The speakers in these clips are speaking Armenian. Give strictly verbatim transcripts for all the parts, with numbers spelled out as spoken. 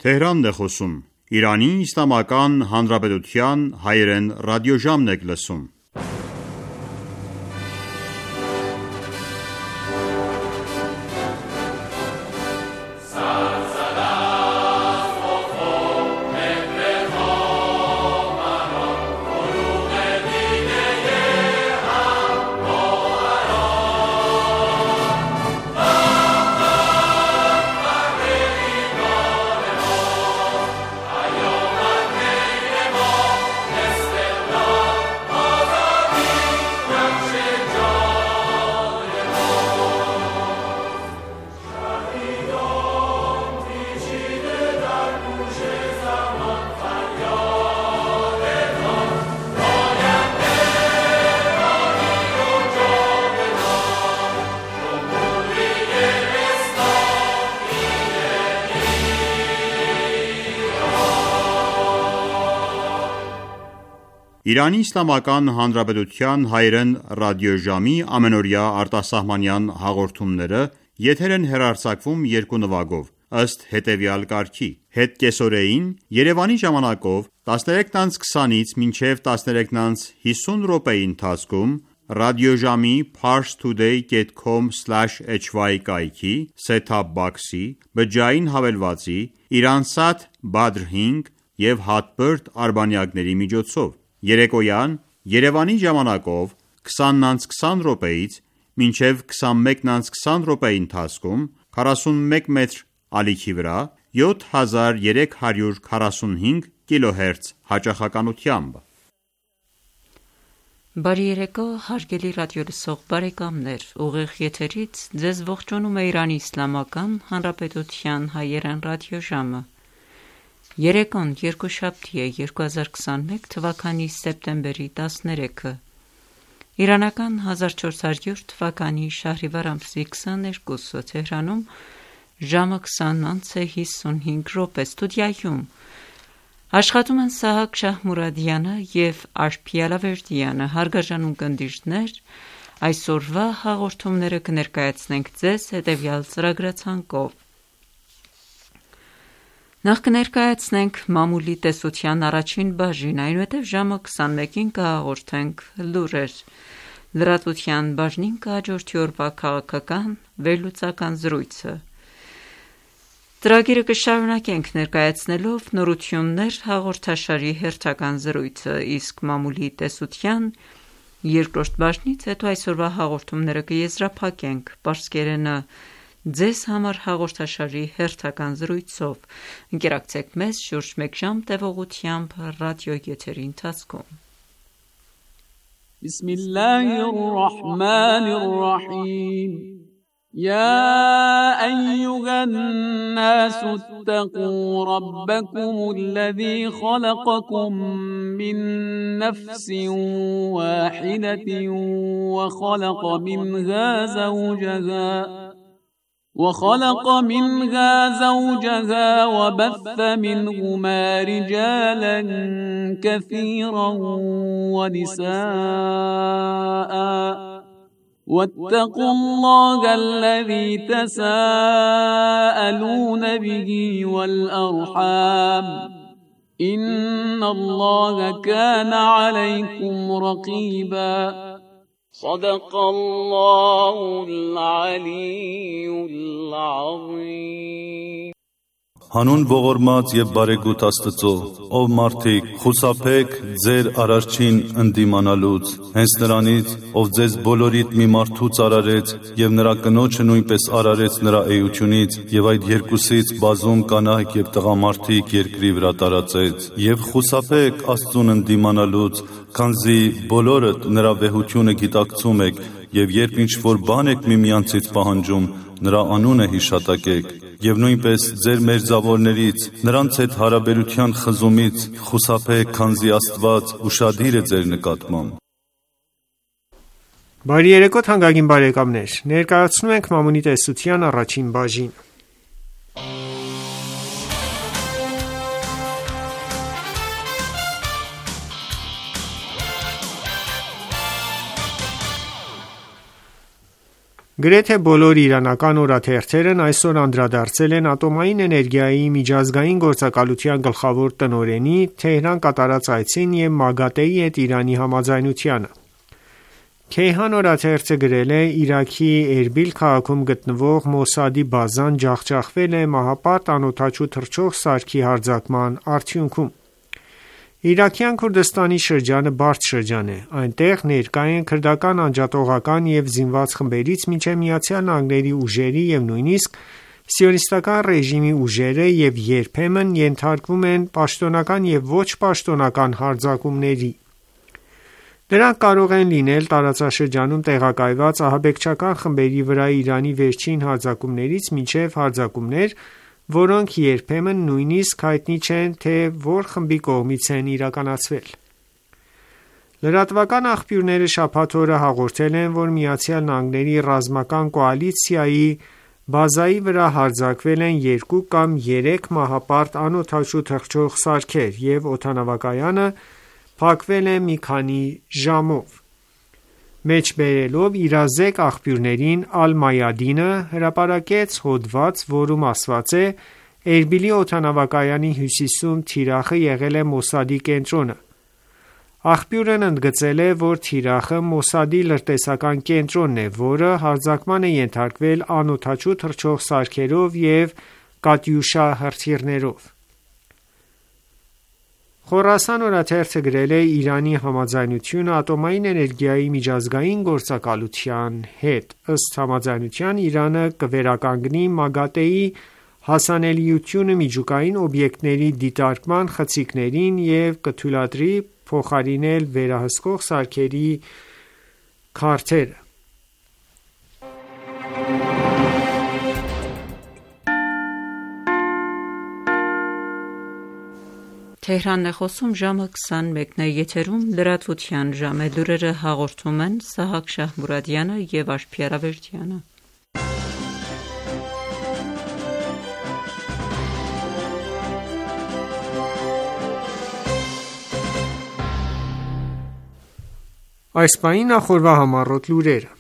Թեհրանն է խոսում։ Իրանի Իսլամական Հանրապետության հայերեն ռադիոժամն եք լսում։ Իրանի Իսլամական Հանրապետության հայերեն ռադիոժամի ամենօրյա արտասահմանյան հաղորդումները եթեր են հեռարձակվում երկու նվագով, ըստ հետևյալ կարգի. Հետկեսօրեին Երևանի ժամանակով տասներեքից քսանից մինչև տասներեքից հիսուն րոպեի ընթացքում ռադիոժամի parstoday dot com slash h y կայքի set-top box-ի, բջջային հավելվածի, Iransat Badr հինգ և Hotbird արբանյակների միջոցով։ Երեկոյան Երևանի ժամանակով քսանից քսան րոպեից մինչև քսանմեկից քսան րոպեի ընթացքում քառասունմեկ մետր ալիքի վրա յոթ հազար երեք հարյուր քառասունհինգ կիլոհերց հաճախականությամբ։ Բարի երեկո, հարգելի ռադիոլսող բարեկամներ, ուղիղ եթերից ձեզ ողջունում է Իրանի Իսլամական Հանրապետության հայերեն ռադիոժամը։ Երեկոն երկուշաբթի է երկու հազար քսանմեկ թվականի սեպտեմբերի տասներեքը, իրանական հազար չորս հարյուր թվականի շահրիվար ամսի քսաներկուսը, Թեհրանում ժամը քսան անց է հիսունհինգ րոպե, ստուդիայում աշխատում են Սահակ Շահմուրադյանը և Աշփի Ալավերդյանը, հարգարժան ունկնդիրներ, այսօրվա հաղորդումները կներկայացնենք ձեզ հետևյալ ծրագրացանկով։ Նախ կներկայացնենք մամուլի տեսության առաջին բաժին, այնուհետև ժամը քսանմեկին կհաղորդենք լուրեր, լրատվության բաժնին կհաջորդի օրվա քաղաքական վերլուծական զրույցը։ Ծրագիրը կշարունակենք ներկայացնելով նորություններ հաղորդաշարի հերթական զրույցը, իսկ մամուլի տեսության երկրորդ բաժնից հետո այսօրվա հաղորդումները կեզրափակենք պարսկերենը ձեզ համար հաղորդաշարի հերթական զրույցով։ Ընկերակցեք մեզ շուրջ մեկ ժամ տևողությամբ ռադիոյեթերի ընթացքում։ Բիսմիլլահիր ռահմանիր ռահիմ يا أيها الناس اتقوا ربكم الذي خلقكم من نفس واحدة وخلق منها زوجها وخلق منها زوجها وبث منهما رجالا كثيرا ونساء واتقوا الله الذي تساءلون به والأرحام إن الله كان عليكم رقيبا صدق الله العلي العظيم Հանուն ողորմած եւ բարեգութ Աստծո, ով մարդիկ, խուսափեք ձեր արարչին ընդդիմանալուց, հենց նրանից, ով ձեզ բոլորիդ մի մարդուց արարեց եւ նրա կնոջը նույնպես արարեց նրա էությունից եւ այդ երկուսից բազում կանայք եւ տղամարդիկ երկրի վրա տարածեց, եւ խուսափեք Աստծուն ընդդիմանալուց, քանզի բոլորդ նրա վեհությունը գիտակցում եք եւ երբ ինչ որ բան եք միմյանցից պահանջում, նրա անունը հիշատակեք։ Եվ նույնպես ձեր մերձավորներից, նրանց հետ հարաբերության խզումից խուսափեք, քանզի Աստված ուշադիր է ձեր նկատմամբ։ Բարի երեկո թանկագին բարեկամներ, ներկայացնում ենք մամուլի տեսության առաջին բաժին։ Գրեթե բոլոր իրանական օրաթերթերն այսօր անդրադարձել են ատոմային էներգիայի միջազգային գործակալության գլխավոր տնօրենի Թեհրան կատարած այցին և ՄԱԳԱՏԷ-ի հետ Իրանի համաձայնությանը։ Քեյհան օրաթերթը գրել է. «Իրաքի Էրբիլ քաղաքում գտնվող Մոսադի բազան ջախջախվել է մահապարտ անօդաչու թռչող սարքի հարձակման արդյունքում»։ Իրաքյան Քուրդստանի շրջանը բարդ շրջան է։ Այնտեղ ներկա են քրդական անջատողական և զինված խմբերից մինչև ԱՄՆ-ի ուժերի և նույնիսկ սիոնիստական ռեժիմի ուժերը և երբեմն ենթարկվում են պաշտոնական և ոչ պաշտոնական հարձակումների։ Դրանք կարող են լինել տարածաշրջանում տեղակայված ահաբեկչական խմբերի վրա Իրանի վերջին հարձակումներից մինչև հարձակումներ, որոնք երբեմն նույնիսկ հայտնի չէ, թե որ խմբի կողմից են իրականացվել։ Լրատվական աղբյուրները շաբաթ օրը հաղորդել են, որ ԱՄՆ-ի ռազմական կոալիցիայի բազայի վրա հարձակվել են երկու կամ երեք մահապարտ անօդաչու թռչող սարքեր և օդանավակայանը փակվել է մի քանի ժամով։ Մեջբերելով իրազեկ աղբյուրներին Ալ-Մայադինը հրապարակեց հոդված, որում ասված է. «Էրբիլի օդանավակայանի հյուսիսում թիրախը եղել է Մոսադի կենտրոնը»։ Աղբյուրն ընդգծել է, որ թիրախը Մոսադի լրտեսական կենտրոնն է, որը հարձակման է ենթարկվել անօդաչու թռչող սարքերով և կատյուշա հրթիռներով։ Խորասան օրաթերթը գրել է. «Իրանի համաձայնությունը ատոմային էներգիայի միջազգային գործակալության հետ։ Ըստ համաձայնության Իրանը կվերականգնի ՄԱԳԱՏԷ-ի հասանելիությունը միջուկային օբյեկտների դիտարկման խցիկներին և կթույլատրի փոխարինել վերահսկող սարքերի քարթերը»։ Այս պահին նախորդ համառոտ լուրերը։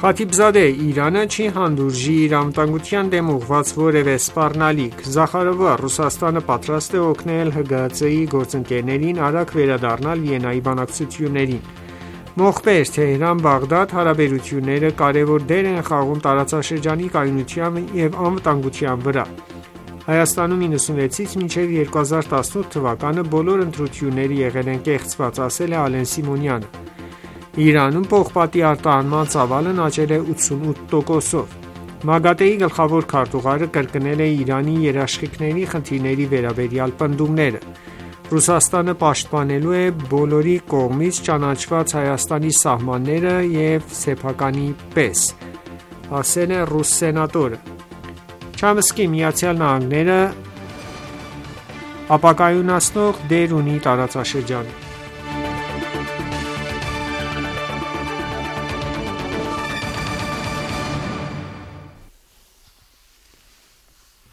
Խաթիբզադե. Իրանը չի հանդուրժի իր անվտանգության դեմ ուղղված որևէ սպառնալիք։ Զախարովը. Ռուսաստանը պատրաստ է օգնել ՀԳՀԾ-ի գործընկերներին արագ վերադառնալ Վիեննայի բանակցություններին։ Մոխբեր. Թեհրան-Բաղդադ հարաբերությունները կարևոր դեր են խաղում տարածաշրջանի կայունության և անվտանգության վրա։ Հայաստանում նոյնասունվեցից մինչև երկու հազար տասնութ թվականը բոլոր ընտրությունները եղել են կեղծված, ասել է Ալեն Սիմոնյանը։ Իրանում պողպատի արտահանման ծավալն աճել է ութսունութ տոկոսով։ ՄԱԳԱՏԷ-ի գլխավոր քարտուղարը կրկնել է Իրանի երաշխիքների խնդիրների վերաբերյալ պնդումները։ Ռուսաստանը պաշտպանելու է բոլորի կողմից ճանաչված Հայաստանի սահմանները և սեփականի պես, ասել է ռուս սենատորը։ Չամսկի. ԱՄՆ-ը ապակայունացնող դեր ունի տարածաշրջանում։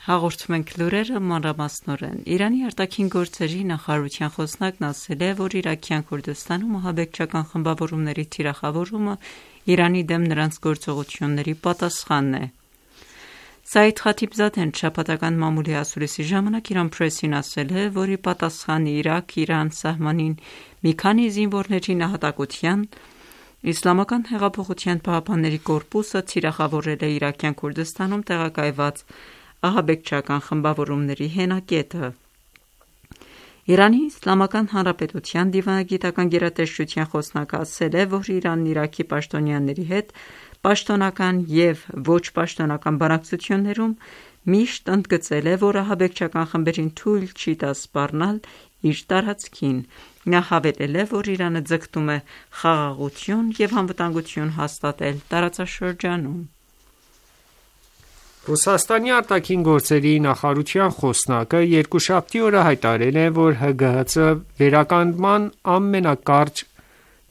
Հաղորդում ենք լուրերը մանրամասնորեն։ Իրանի արտաքին գործերի նախարարության խոսնակն ասել է, որ Իրաքյան Քուրդստանում ահաբեկչական խմբավորումների թիրախավորումը Իրանի դեմ նրանց գործողությունների պատասխանն է։ Սաիդ Խաթիբզադեն շաբաթական մամուլի ասուլիսի ժամանակ Իրան Փրեսին ասել է, որ ի պատասխան Իրաք-Իրան սահմանին մի քանի զինվորների նահատակության Իսլամական հեղափոխության պահապանների կորպուսը թիրախավորել է Իրաքյան Քուրդստանում տեղակայված ահաբեկչական խմբավորումների հենակետը։ Իրանի Իսլամական Հանրապետության դիվանագիտական գերատեսչության խոսնակը ասել է, որ Իրանն Իրաքի պաշտոնյաների հետ պաշտոնական և ոչ պաշտոնական բանակցություններում միշտ ընդգծել է, որ ահաբեկչական խմբերին թույլ չի տա սպառնալ իր տարածքին։ Նա հավելել է, որ Իրանը ձգտում է խաղաղություն և անվտանգություն հաստատել տարածաշրջանում։ Ռուսաստանի արտաքին գործերի նախարարության խոսնակը երկուշաբթի օրը հայտարարել է, որ ՀԳՀԾ վերականգնման ամենակարճ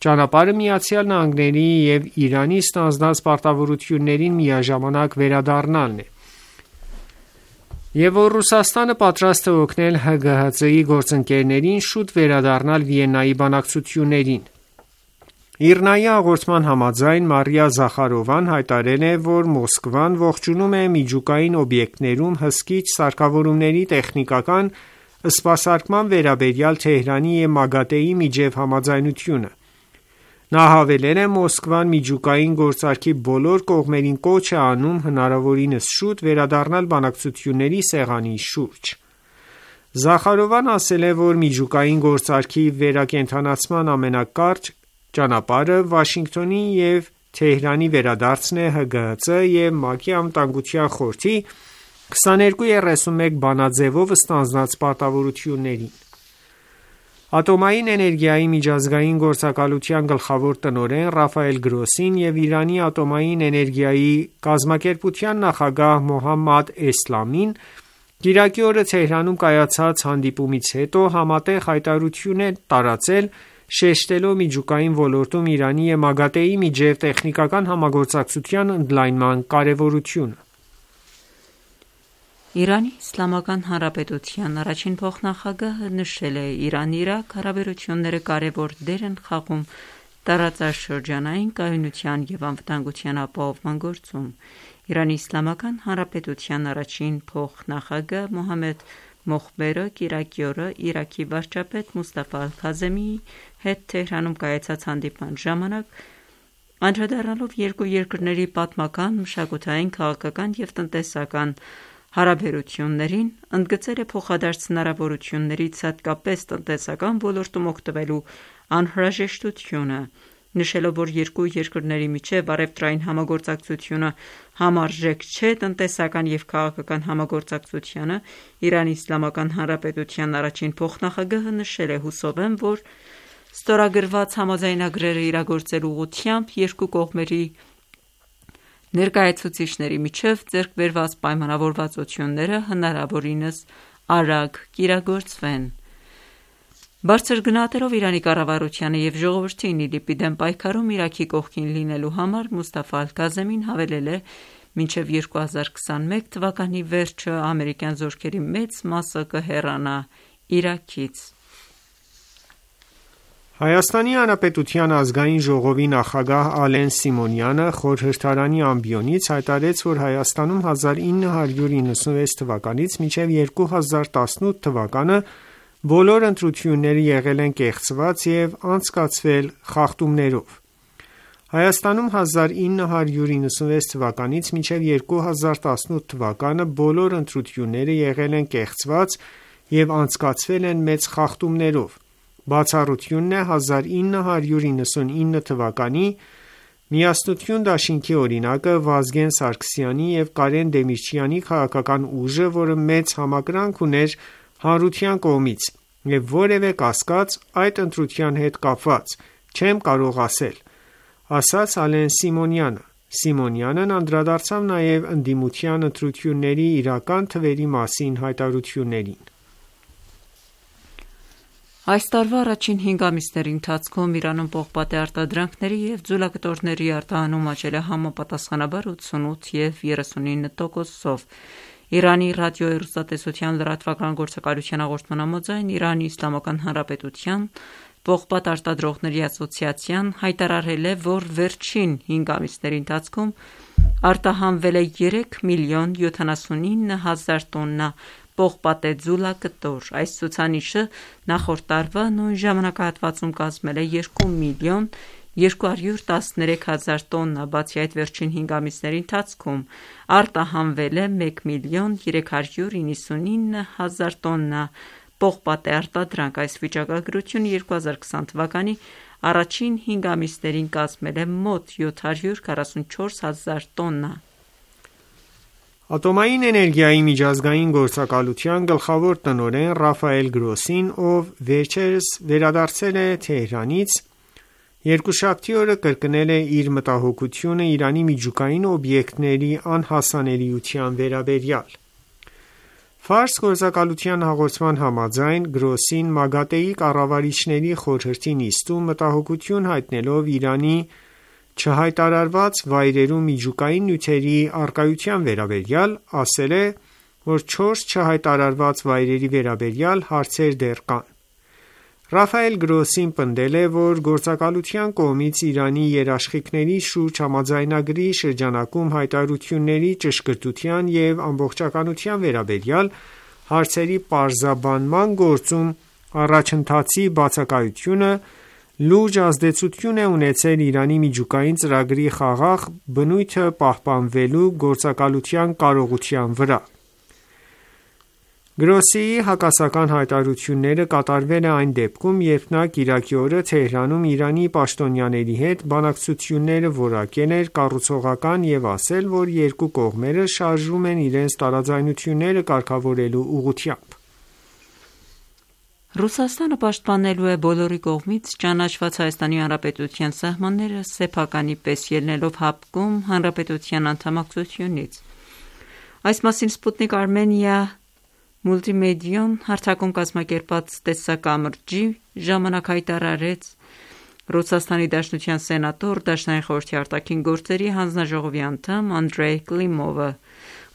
ճանապարհը ԱՄՆ-ի և Իրանի ստանձնած պարտավորություններին միաժամանակ վերադառնալն է։ եւ որ Ռուսաստանը պատրաստ է օգնել Հ Գ Հ Ց-ի գործընկերներին շուտ վերադառնալ Վիեննայի բանակցություններին։ ԻՌՆԱ-ի հաղորդման համաձայն Մարիա Զախարովան հայտարարել է, որ Մոսկվան ողջունում է միջուկային օբյեկտներում հսկիչ սարքավորումների տեխնիկական սպասարկման վերաբերյալ Թեհրանի եւ ՄԱԳԱՏԷ-ի միջև համաձայնությունը։ Նա հավելել է. Մոսկվան միջուկային գործարքի բոլոր կողմերին կոչ է անում հնարավորինս շուտ վերադառնալ բանակցությունների սեղանի շուրջ։ Զախարովան ասել է, որ միջուկային գործարքի վերակենդանացման ամենակարճ ճանապարհը Վաշինգտոնի եւ Թեհրանի վերադարձն է Հ Գ Հ Ց եւ ՄԱԿ-ի Անվտանգության խորհրդի քսաներկու երեսունմեկ բանաձևով ստանձնած պարտավորություններին։ Ատոմային էներգիայի միջազգային գործակալության գլխավոր տնօրեն Ռաֆայել Գրոսին եւ Իրանի ատոմային էներգիայի կազմակերպության նախագահ Մոհամմադ Էսլամին Կիրակի օրը Թեհրանում կայացած հանդիպումից հետո համատեղ հայտարարություն են տարածել, շեշտելով միջուկային ոլորտում Իրանի եւ ՄԱԳԱՏԷ-ի միջև տեխնիկական համագործակցության ընդլայնման կարեւորությունը։ Իրանի Իսլամական Հանրապետության առաջին փոխնախագահը նշել է. Իրան-Իրաք հարաբերությունները կարևոր դեր են խաղում տարածաշրջանային կայունության եւ անվտանգության ապահովման գործում։ Իրանի Իսլամական Հանրապետության առաջին փոխնախագահ Մոհամմեդ Մոխբերը Կիրակի օրը Իրաքի վարչապետ Մուստաֆա Ալ-Քազեմիի հետ Թեհրանում կայացած հանդիպման ժամանակ անդրադառնալով երկու երկրների պատմական, մշակութային, քաղաքական եւ տնտեսական հարաբերություններին, ընդգծել է փոխադարձ հնարավորություններից հատկապես տնտեսական ոլորտում օգտվելու անհրաժեշտությունը, նշելով, որ երկու երկրների միջև առևտրային համագործակցությունը համարժեք չէ տնտեսական եւ քաղաքական համագործակցությանը, Իրանի Իսլամական Հանրապետության առաջին փոխնախագահը նշել է. հուսով եմ, որ ստորագրված համաձայնագրերը իրագործելու ուղղությամբ երկու կողմերի ներկայացուցիչների միջև ձեռք բերված պայմանավորվածությունները հնարավորինս արագ կիրագործվեն։ Բարձր գնահատելով Իրանի կառավարությանը եւ ժողովրդին ԻԼԻՊ-ի դեմ պայքարում Իրաքի կողքին լինելու համար Մուստաֆա Ալ-Քազեմին հավելել է. մինչև երկու հազար քսանմեկ թվականի վերջը ամերիկյան զորքերի մեծ մասը կհեռանա Իրաքից։ Հայաստանի Հանրապետության ազգային ժողովի նախագահ Ալեն Սիմոնյանը խորհրդարանի ամբիոնից հայտարարեց, որ Հայաստանում հազար ինը հարյուր իննսունվեց թվականից մինչև երկու հազար տասնութ թվականը բոլոր ընտրությունները եղել են կեղծված եւ անցկացվել խախտումներով։ Հայաստանում հազար ինը հարյուր իննսունվեց թվականից մինչև երկու հազար տասնութ թվականը բոլոր ընտրությունները եղել են կեղծված եւ անցկացվել են մեծ խախտումներով։ Բացառությունն է հազար ինը հարյուր իննսունինը թվականի Միասնություն դաշինքի օրինակը Վազգեն Սարգսյանի եւ Կարեն Դեմիրճյանի քաղաքական ուժը, որը մեծ համակրանք ուներ հանրության կողմից եւ որևէ կասկած այդ ընտրության հետ կապված չեմ կարող ասել, ասաց Ալեն Սիմոնյանը։ Սիմոնյանն անդրադարձավ նաեւ ընդդիմության ընտրությունների իրական թվերի մասին հայտարարություններին։ Այս տարվա առաջին հինգ ամիսների ընթացքում Իրանում պողպատե արտադրանքների եւ ձուլակտորների արտահանում աճել է համապատասխանաբար ութսունութ եւ երեսունինը տոկոսով։ Իրանի ռադիոհեռուստատեսության լրատվական գործակալության հաղորդման համաձայն Իրանի Իսլամական Հանրապետության պողպատ արտադրողների ասոցիացիան հայտարարել է, որ վերջին հինգ ամիսների ընթացքում արտահանվել է երեք միլիոն յոթանասունինը հազար տոննա պողպատե ձուլակտոր։ Այս ցուցանիշը նախորդ տարվա նույն ժամանակահատվածում կազմել է երկու միլիոն երկու հարյուր տասներեք հազար տոննա, բացի այդ վերջին հինգ ամիսների ընթացքում արտահանվել է մեկ միլիոն երեք հարյուր իննսունինը հազար տոննա պողպատե արտադրանք։ Այս վիճակագրությունը երկու հազար քսան թվականի առաջին հինգ ամիսներին կազմել է մոտ յոթ հարյուր քառասունչորս հազար տոննա։ Ատոմային էներգիայի միջազգային գործակալության գլխավոր տնօրեն Ռաֆայել Գրոսին, ով վերջերս վերադարձել է Թեհրանից, երկուշաբթի օրը կրկնել է իր մտահոգությունը Իրանի միջուկային օբյեկտների անհասանելիության վերաբերյալ։ Ֆարս գործակալության հաղորդման համաձայն Գրոսին ՄԱԳԱՏԷ-ի կառավարիչների խորհրդի նիստում մտահոգություն հայտնելով Իրանի չհայտարարված վայրերում միջուկային նյութերի առկայության վերաբերյալ ասել է, որ չորս չհայտարարված վայրերի վերաբերյալ հարցեր դեռ կան։ Ռաֆայել Գրոսին պնդել է, որ գործակալության կողմից Իրանի երաշխիքների շուրջ համաձայնագրի շրջանակում հայտարարությունների ճշգրտության և ամբողջականության վերաբերյալ հարցերի պարզաբանման գործում առաջընթացի բացակայությունը լուրջ ազդեցություն է ունեցել Իրանի միջուկային ծրագրի խաղաղ բնույթը պահպանվելու գործակալության կարողության վրա։ Գրոսիի հակասական հայտարարությունները կատարվել է այն դեպքում, երբ նա կիրակի օրը Թեհրանում Իրանի պաշտոնյաների հետ բանակցությունները որակել էր կառուցողական և ասել, որ երկու կողմերը շարժվում են իրենց տարաձայնությունները կարգավորելու ուղղությամբ։ Ռուսաստանը պաշտպանելու է բոլորի կողմից ճանաչված Հայաստանի Հանրապետության սահմանները սեփականի պես ելնելով հապկում Հանրապետության անդամակցությունից։ Այս մասին Սպուտնիկ Արմենիա մուլտիմեդիան հարթակում կազմակերպած տեսակամրջի ժամանակ հայտարարեց Ռուսաստանի Դաշնության սենատոր, Դաշնային խորհրդի արտաքին գործերի հանձնաժողովի անդամ Անդրեյ Կլիմովը։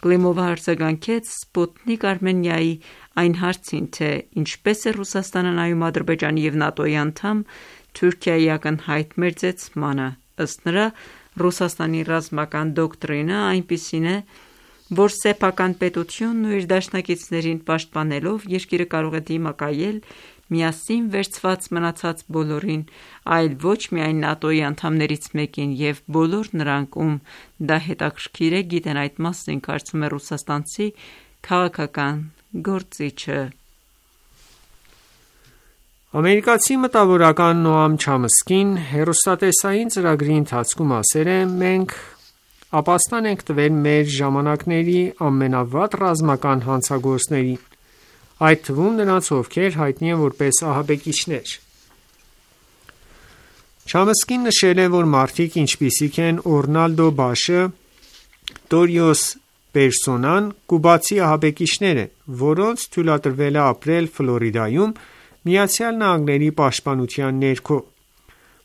Կլիմովը արձագանքեց Սպուտնիկ Արմենիայի այն հարցին, թե ինչպես է Ռուսաստանը նայում Ադրբեջանի և ՆԱՏՕ-ի անդամ Թուրքիայի ակնհայտ մերձեցմանը։ Ըստ նրա, Ռուսաստանի ռազմական դոկտրինը այնպիսին է, որ սեփական պետությունն ու իր դաշնակիցներին պաշտպանելով երկիրը կարող է դիմակայել միասին վերցված մնացած բոլորին, այլ ոչ միայն ՆԱՏՕ-ի անդամներից մեկին, և բոլոր նրանք, ում դա հետաքրքիր է, գիտեն այդ մասին, կարծում է ռուսաստանցի քաղաքական գործիչը։ Ամերիկացի մտավորական Նոամ Չամսկին հեռուստատեսային ծրագրի ընթացքում ասել է. «Մենք ապաստան ենք տվել մեր ժամանակների ամենավատ ռազմական հանցագործներին, այդ թվում նրանց, ովքեր հայտնի են որպես ահաբեկիչներ»։ Չամսկին նշել է, որ մարդիկ ինչպիսիք են Օրնալդո Բաշը, Տորիոս Պերսոնան կուբացի ահաբեկիչներ են, որոնց թույլատրվել է ապրել Ֆլորիդայում Միացյալ Նահանգների պաշտպանության ներքո։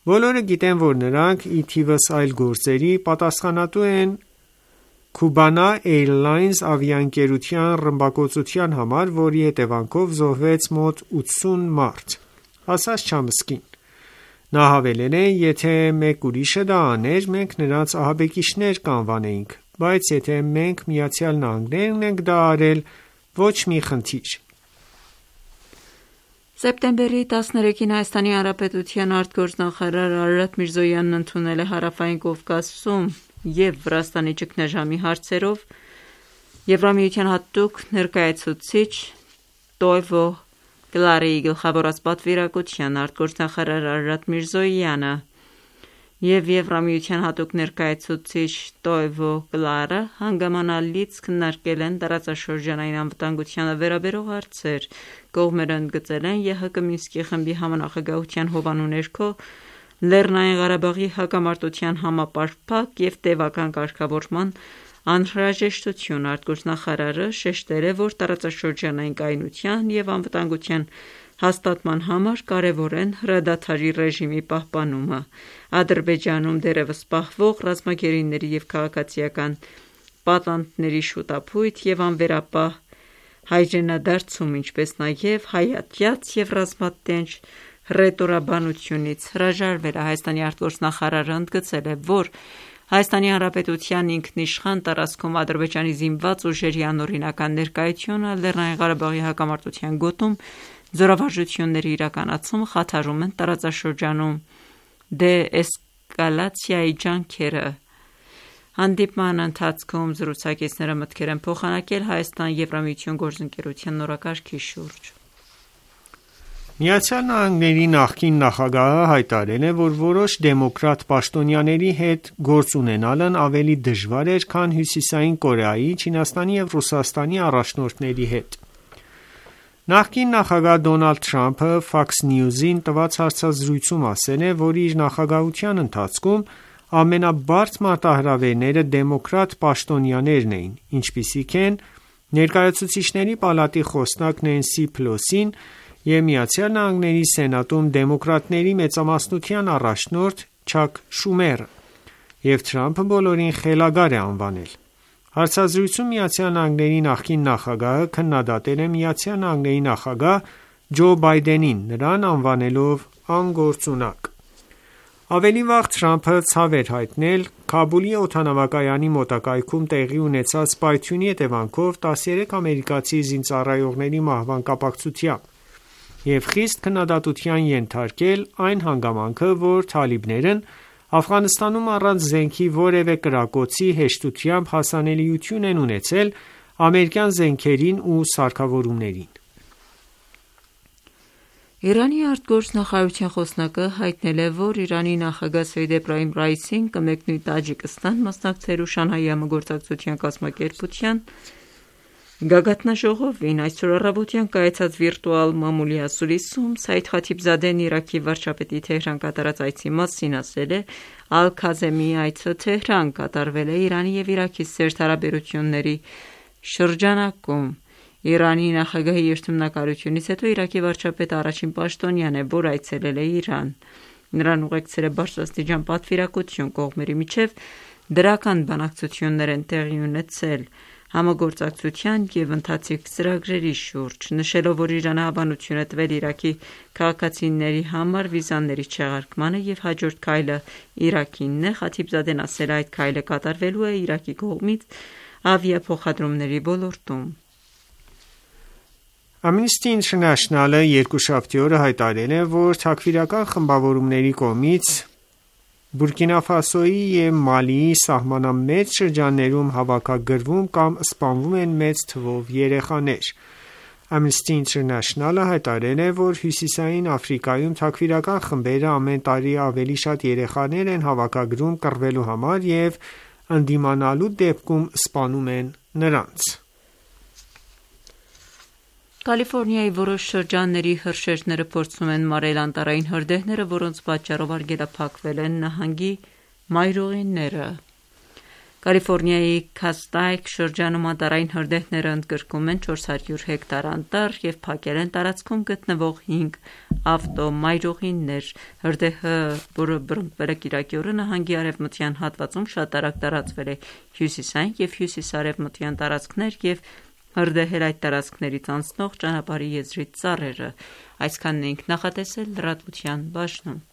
Բոլորը գիտեն, որ նրանք ի թիվս այլ գործերի պատասխանատու են Cubana Airlines ավիաընկերության ռմբակոծության համար, որի հետևանքով զոհվեց մոտ ութսուն մարդ, ասաց Չամսկին։ Նա հավելել է. «Եթե մեկ ուրիշը դա աներ, մենք նրանց ահաբեկիչներ կանվանեինք, բայց եթե մենք Միացյալ Նահանգներն ենք դա արել, ոչ մի խնդիր»։ Սեպտեմբերի տասներեքին Հայաստանի Հանրապետության արտգործնախարար Արարատ Միրզոյանն ընդունել է Հարավային Կովկասում և Վրաստանի ճգնաժամի հարցերով Եվրամիության հատուկ ներկայացուցիչ Տոյվո Կլարեի գլխավորած պատվիրակության արտգործնախարար Արարատ Միրզոյանը և Եվրամիության հատուկ ներկայացուցիչ Տոյվո Կլարը հանգամանալից քննարկել են տարածաշրջանային անվտանգությանը վերաբերող հարցեր։ Կողմերը ընդգծել են ԵՀԿ Մինսկի խմբի համանախագահության հովանու ներքո Լեռնային Ղարաբաղի հակամարտության համապարփակ և տևական կարգավորման անհրաժեշտությունը։ Արտգործնախարարը շեշտել է, որ տարածաշրջանային կայունության և անվտանգության հաստատման համար կարևոր են հրադադարի ռեժիմի պահպանումը, Ադրբեջանում դեռևս պահվող ռազմագերիների և քաղաքացիական պատանդների շուտափույթ և անվերապահ հայրենադարձում, ինչպես նաև հայհատյաց և ռազմատենչ հռետորաբանությունից հրաժարվելը։ Հայաստանի արտգործնախարարը ընդգծել է, որ Հայաստանի Հանրապետության ինքնիշխան տարածքում Ադրբեջանի զինված ուժերի անօրինական ներկայությունը Լեռնային Ղարաբաղի հակամարտության գոտում զորավարժությունների իրականացումը խաթարում են տարածաշրջանում դեէսկալացիայի ջանքերը։ Հանդիպման ընթացքում զրուցակիցները մտքեր են փոխանակել Հայաստան-Եվրամիություն գործընկերության նորակարգի շուրջ։ Միացյալ Նահանգների նախկին նախագահը հայտարարել է, որ որոշ դեմոկրատ պաշտոնյաների հետ գործ ունենալն ավելի դժվար էր, քան Հյուսիսային Կորեայի, Չինաստանի և Ռուսաստանի առաջնորդների հետ։ Նախկին նախագահ Դոնալդ Թրամփը Fox News-ին տված հարցազրույցում ասել է, որ իր նախագահության ընթացքում ամենաբարդ մարտահրավերները դեմոկրատ պաշտոնյաներն էին, ինչպիսիք են Ներկայացուցիչների պալատի խոսնակ Նենսի Փելոսին և Միացյալ Նահանգների Սենատում դեմոկրատների մեծամասնության առաջնորդ Չակ Շումերը, և Թրամփը բոլորին խելագար է անվանել։ Հարցազրույցում Միացյալ Նահանգների նախկին նախագահը քննադատել է Միացյալ Նահանգների նախագահ Ջո Բայդենին, նրան անվանելով անգործունակ։ Ավելի վաղ Թրամփը ցավ էր հայտնել Քաբուլի օդանավակայանի մոտակայքում տեղի ունեցած պայթյունի հետևանքով տասներեք ամերիկացի զինծառայողների մահվան կապակցությամբ և խիստ քննադատության ենթարկել այն հանգամանքը, որ թալիբներն Աֆղանստանում առանց զենքի որևէ կրակոցի հեշտությամբ հասանելիություն են ունեցել ամերիկյան զենքերին ու սարքավորումներին։ Իրանի արտգործնախարարության խոսնակը հայտնել է, որ Իրանի նախագահ Սեյեդ Էբրահիմ Ռայիսին կմեկնի Տաջիկստան մասնակցելու Շանհայի համագործակցության կազմակերպության գագաթնաժողովին։ Այսօր առավոտյան կայացած վիրտուալ մամուլի ասուլիսում Սայիդ Խաթիբզադեն Իրաքի վարչապետի Թեհրան կատարած այցի մասին ասել է. Ալ-Քազեմիի այցը Թեհրան կատարվել է Իրանի և Իրաքի սերտ հարաբերությունների շրջանակում։ Իրանի նախագահի երթմնակալությունից հետո Իրաքի վարչապետը առաջին պաշտոնյան է, որ այցելել է Իրան։ Նրան ուղեկցել է բարձրաստիճան պատվիրակություն, կողմերի միջև դրական բանակցություններ են տեղի ունեցել համագործակցության և ընթացիկ ծրագրերի շուրջ, նշելով, որ Իրանը հավանություն է տվել Իրաքի քաղաքացիների համար վիզաների չեղարկմանը և հաջորդ քայլը Իրաքինն է, Խաթիբզադեն ասել է, այդ քայլը կատարվելու է Իրաքի կողմից ավիափոխադրումների ոլորտում։ Amnesty International-ը երկուշաբթի օրը հայտարարել է, որ թաքֆիրական խմբավորումների կողմից Բուրկինա Ֆասոյի և Մալիի սահմանամետ շրջաններում հավաքագրվում կամ սպանվում են մեծ թվով երեխաներ։ Amnesty International-ը հայտարարել է, որ Հյուսիսային Աֆրիկայում թաքֆիրական խմբերը ամեն տարի ավելի շատ երեխաներ են հավաքագրում կռվելու համար և ընդդիմանալու դեպքում սպանում են նրանց։ Կալիֆորնիայի որոշ շրջանների հրշեջները փորձում են մարել անտառային հրդեհները, որոնց պատճառով արգելափակվել են նահանգի մայրուղիները։ Կալիֆորնիայի Քաստայք շրջանում անտառային հրդեհները ընդգրկում են չորս հարյուր հեկտար անտառ և փակել են տարածքում գտնվող հինգ ավտոմայրուղիներ։ Հրդեհը, որը բռնկվել է կիրակի օրը նահանգի արևմտյան հատվածում, շատ արագ տարածվել է հյուսիսային և հյուսիսարևմտյան տարածքներ և հրդեհել այդ տարածքներից անցնող ճանապարհի եզրից ծառերը։ Այսքանն էինք նախատեսել լրատվության բաժնում։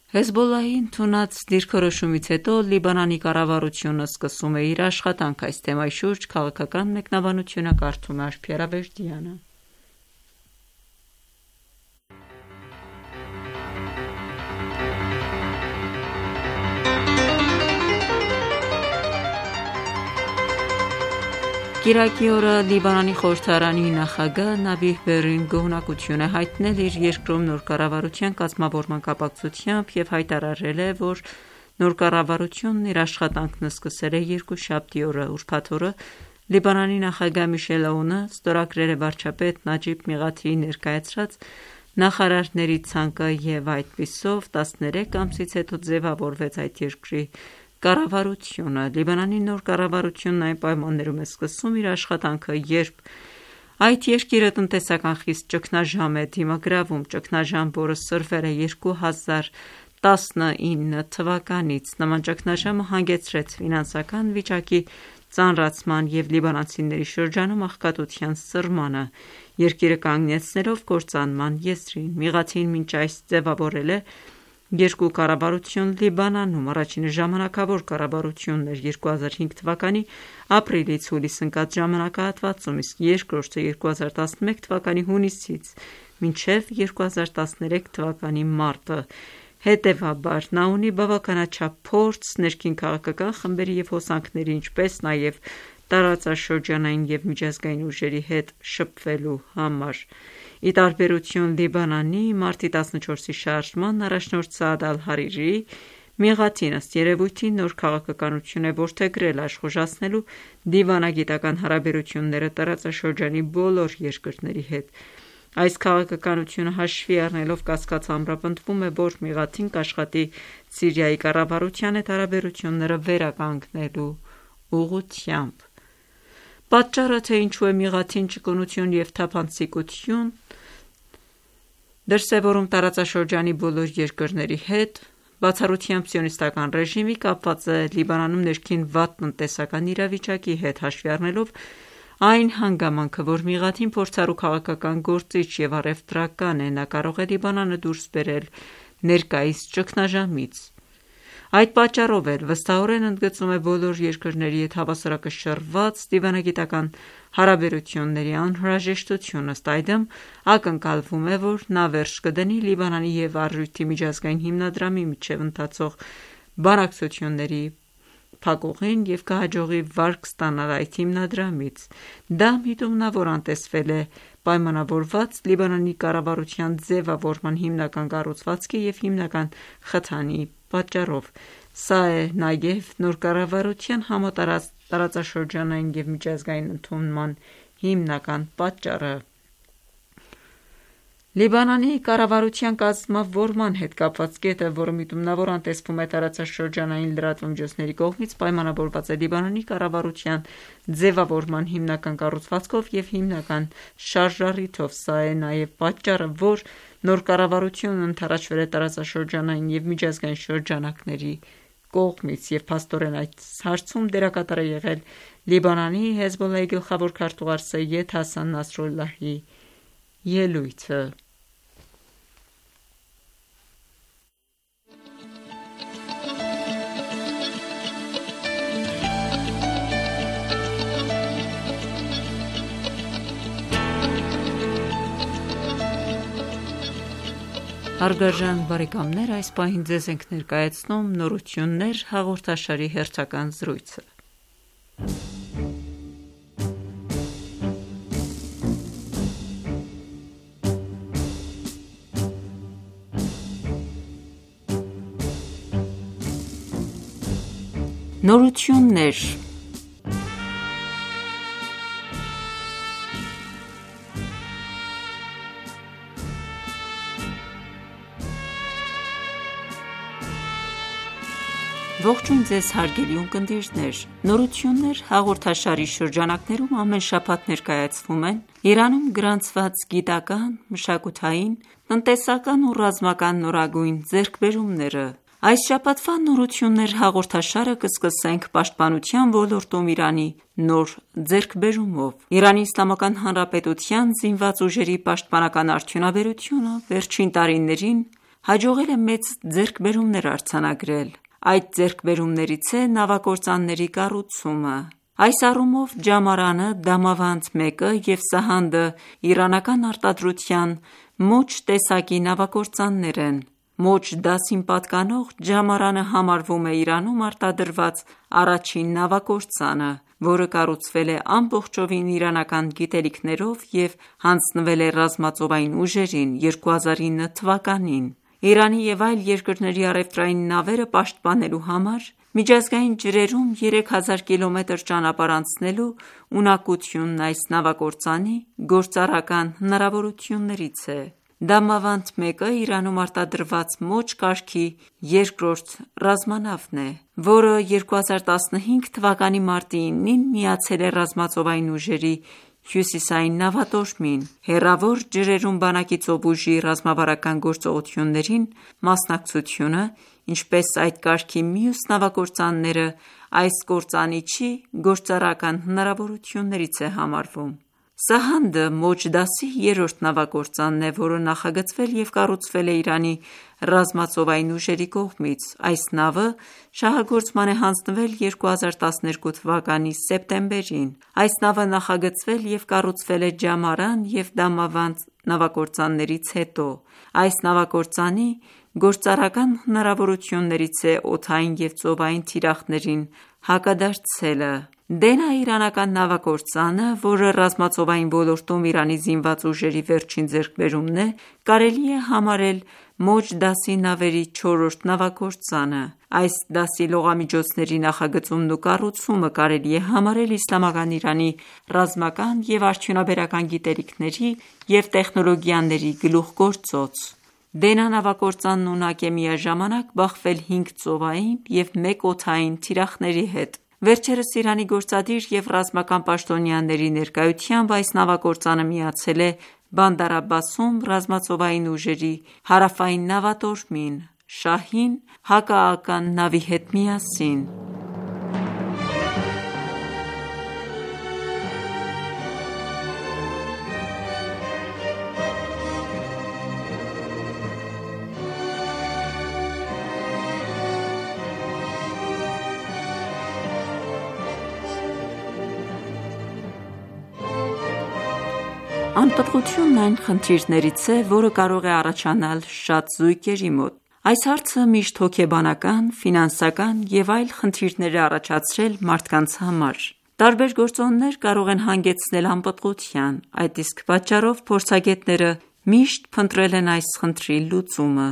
Հեզբոլլահի ընդունած դիրքորոշումից հետո Լիբանանի կառավարությունը սկսում է իր աշխատանքը այս թեմայի շուրջ քաղաքական մեկնաբանությունը կարդում է Աշփի Արավերդյանը։ Կիրակի օրը Լիբանանի խորհրդարանի նախագահ Նաբիհ Բերրին գոհունակություն է հայտնել իր երկրում նոր կառավարության կազմավորման կապակցությամբ և հայտարարել է, որ նոր կառավարությունն իր աշխատանքն սկսել է երկուշաբթի օրը։ Ուրբաթ օրը Լիբանանի նախագահ Միշել Աունը ստորագրել է վարչապետ Նաջիբ Միղաթիի ներկայացրած նախարարների ցանկը և այդպիսով տասներեք ամսից հետո ձևավորվեց այդ երկրի կառավարությունը։ Լիբանանի նոր կառավարությունն այն պայմաններում է սկսում իր աշխատանքը, երբ այդ երկիրը տնտեսական խիստ ճգնաժամ է դիմագրավում, ճգնաժամ, որը սրվել է երկու հազար տասնինը թվականից։ Նման ճգնաժամը հանգեցրեց ֆինանսական վիճակի ծանրացման և լիբանանցիների շրջանում աղքատության սրմանը, երկիրը կանգնեցնելով կործանման եզրին։ Միղաթին մինչ այս ձևավորել է երկու կառավարություն Լիբանանում։ Առաջինը ժամանակավոր կառավարությունն էր երկու հազար հինգ թվականի ապրիլից հուլիս ընկած ժամանակահատվածում, իսկ երկրորդը երկու հազար տասնմեկ թվականի հունիսից մինչև երկու հազար տասներեք թվականի մարտը։ Հետևաբար նա ունի բավականաչափ փորձ ներքին քաղաքական խմբերի և հոսանքների, ինչպես նաև տարածաշրջանային և միջազգային ուժերի հետ շփվելու համար։ Ի տարբերություն Լիբանանի, մարտի տասնչորսի շարժման առաջնորդ Սաադ Ալ-Հարիրիի, Միղաթին ըստ երևույթին նոր քաղաքականություն է որդեգրել աշխուժացնելու դիվանագիտական հարաբերությունները տարածաշրջանի բոլոր երկրների հետ։ Այս քաղաքականությունը հաշվի առնելով կասկած ամրապնդվում է, որ Միղաթին կաշխատի Սիրիայի կառավարության հետ հարաբերությունները վերականգնելու ուղղությամբ։ Պատճառը, թե ինչու է մեղաթին ճկունություն և թափանցիկություն դրսևորում տարածաշրջանի բոլոր երկրների հետ, բացառությամբ սիոնիստական ռեժիմի, կապված է Լիբանանում ներքին վատ տնտեսական իրավիճակի հետ, հաշվի առնելով այն հանգամանքը, որ մեղաթին փորձառու քաղաքական գործիչ և առևտրական է, նա կարող է Լիբանանը դուրս բերել ներկայիս ճգնաժամից։ Այդ պատճառով էլ վստահորեն ընդգծում է բոլոր երկրների հետ հավասարակշռված դիվանագիտական հարաբերությունների անհրաժեշտությունը, ըստ այդմ ակնկալվում է, որ նա վերջ կդնի Լիբանանի և Առյուծի միջազգային հիմնադրամի միջև ընթացող բանակցությունների փակուղին և կհաջողի վարկ ստանալ այդ հիմնադրամից։ Դա միտումնավոր անտեսվել է պայմանավորված Լիբանանի կառավարության ձևավորման հիմնական կառուցվածքի և հիմնական խթանի պատճառով։ Սա է նաև նոր կառավարության համատարած տարածաշրջանային և միջազգային ընդունման հիմնական պատճառը։ Լիբանանի կառավարության կազմավորման հետ կապված կետը, որը միտումնավոր անտեսվում է տարածաշրջանային լրատվամիջոցների կողմից, պայմանավորված է Լիբանանի կառավարության ձևավորման հիմնական կառուցվածքով և հիմնական շարժառիթով։ Սա է նաև պատճառը, որ նոր կառավարությունն ընդառաջվել է տարածաշրջանային և միջազգային շրջանակների կողմից, և փաստորեն այս հարցում դերակատար է եղել Լիբանանի Հեզբոլլահի գլխավոր քարտուղար Սեյեդ Հասան Նասրալլահի ելույթը։ Հարգարժան բարեկամներ, այս պահին ձեզ ենք ներկայացնում «Նորություններ» հաղորդաշարի հերթական զրույցը։ Նորություններ Ողջույն ձեզ հարգելի ունկնդիրներ: «Նորություններ» հաղորդաշարի շրջանակներում ամեն շաբաթ ներկայացվում են Իրանում գրանցված գիտական, մշակութային, տնտեսական ու ռազմական նորագույն ձեռքբերումները։ Այս շաբաթվա «Նորություններ» հաղորդաշարը կսկսենք պաշտպանության ոլորտում Իրանի նոր ձեռքբերումով։ Իրանի Իսլամական Հանրապետության զինված ուժերի պաշտպանական արդյունաբերությունը վերջին տարիներին հաջողել է մեծ ձեռքբերումներ արձանագրել։ Այդ ձեռքբերումներից է նավակործանների կառուցումը։ Այս առումով Ջամարանը, Դամավանդ մեկը և Սահանդը իրանական արտադրության մոջ տեսակի նավակործաններ են։ Մոջ դասին պատկանող Ջամարանը համարվում է Իրանում արտադրված առաջին նավակործանը, որը կառուցվել է ամբողջովին իրանական գիտելիքներով և հանձնվել է ռազմածովային ուժերին երկու հազար ինը թվականին։ Իրանի և այլ երկրների առևտրային նավերը պաշտպանելու համար միջազգային ջրերում երեք հազար կիլոմետր ճանապարհ անցնելու ունակությունն այս նավակործանի գործառական հնարավորություններից է։ Դամավանդ մեկը Իրանում արտադրված մոջ կարգի երկրորդ ռազմանավն է, որը երկու հազար տասնհինգ թվականի մարտի իննին միացել է ռազմածովային ուժերի հյուսիսային նավատորմին։ Հեռավոր ջրերում բանակի ծովուժի ռազմավարական գործողություններին մասնակցությունը, ինչպես այդ կարգի մյուս նավակործանները, այս կործանիչի գործառական հնարավորություններից է համարվում։ Սահանդը մոջ դասի երրորդ նավակործանն է, որը նախագծվել և կառուցվել է Իրանի ռազմածովային ուժերի կողմից։ Այս նավը շահագործման է հանձնվել երկու հազար տասներկու թվականի սեպտեմբերին։ Այս նավը նախագծվել և կառուցվել է Ջամարան և Դամավանդ նավակործաններից հետո։ Այս նավակործանի գործառական հնարավորություններից է օդային և ծովային թիրախներին հակադարձելը։ Դենա իրանական նավակործանը, որը ռազմածովային ոլորտում Իրանի զինված ուժերի վերջին ձեռքբերումն է, կարելի է համարել մոջ դասի նավերի չորրորդ նավակործանը։ Այս դասի լողամիջոցների նախագծումն ու կառուցումը կարելի է համարել իսլամական Իրանի ռազմական և արդյունաբերական գիտելիքների և տեխնոլոգիաների գլուխգործոց։ Դենա նավակործանն ունակ է միաժամանակ բախվել հինգ ծովային և մեկ օդային թիրախների հետ։ Վերջերս Իրանի գործադիր և ռազմական պաշտոնյաների ներկայությամբ այս նավագործանը միացել է Բանդար Աբբասում ռազմածովային ուժերի հարավային նավատորմին «Շահին» հակաահական նավի հետ միասին։ Անպտղությունն այն խնդիրներից է, որը կարող է առաջանալ շատ զույգերի մոտ։ Այս հարցը միշտ հոգեբանական, ֆինանսական և այլ խնդիրներ է առաջացրել մարդկանց համար։ Տարբեր գործոններ կարող են հանգեցնել անպտղության, այդ իսկ պատճառով փորձագետները միշտ փնտրել են այս խնդրի լուծումը։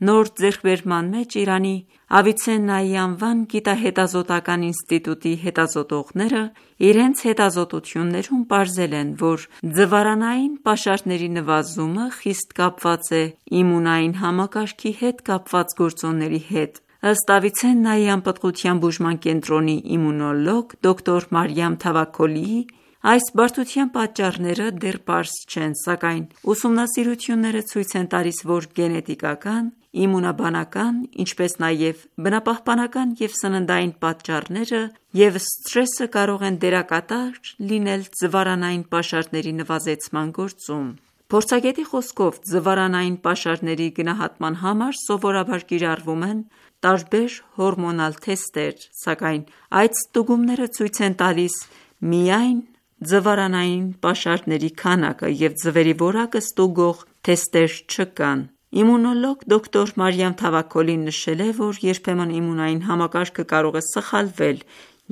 Նոր ձեռքբերման մեջ Իրանի Ավիցեննայի անվան գիտահետազոտական ինստիտուտի հետազոտողները իրենց հետազոտություններում պարզել են, որ ձվարանային պաշարների նվազումը խիստ կապված է իմունային համակարգի հետ կապված գործոնների հետ։ Ըստ Ավիցեննայի անպտղության բուժման կենտրոնի իմունոլոգ դոկտոր Մարիամ Թավաքոլիի, այս բարդության պատճառները դեռ պարզ չեն, սակայն ուսումնասիրությունները ցույց են տալիս, որ գենետիկական, իմունաբանական, ինչպես նաև բնապահպանական և սննդային պատճառները և սթրեսը կարող են դերակատար լինել ձվարանային պաշարների նվազեցման գործում։ Փորձագետի խոսքով, ձվարանային պաշարների գնահատման համար սովորաբար կիրառվում են տարբեր հորմոնալ թեստեր, սակայն այդ ստուգումները ցույց են տալիս միայն ձվարանային պաշարների քանակը և ձվերի որակը ստուգող թեստեր չկան։ Իմունոլոգ դոկտոր Մարիամ Թավաքոլին նշել է, որ երբեմն իմունային համակարգը կարող է սխալվել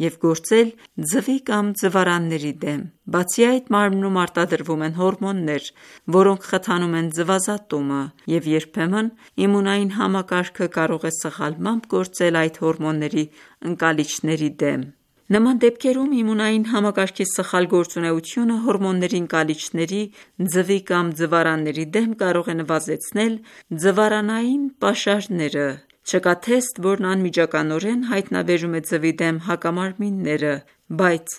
և գործել ձվի կամ ձվարանների դեմ։ Բացի այդ, մարմնում արտադրվում են հորմոններ, որոնք խթանում են ձվազատումը, և երբեմն իմունային համակարգը կարող է սխալմամբ գործել այդ հորմոնների ընկալիչների դեմ։ Նման դեպքերում իմունային համակարգի սխալ գործունեությունը հորմոնների ընկալիչների, ձվի կամ ձվարանների դեմ կարող է նվազեցնել ձվարանային պաշարները։ Չկա թեստ, որն անմիջականորեն հայտնաբերում է ձվի դեմ հակամարմինները, բայց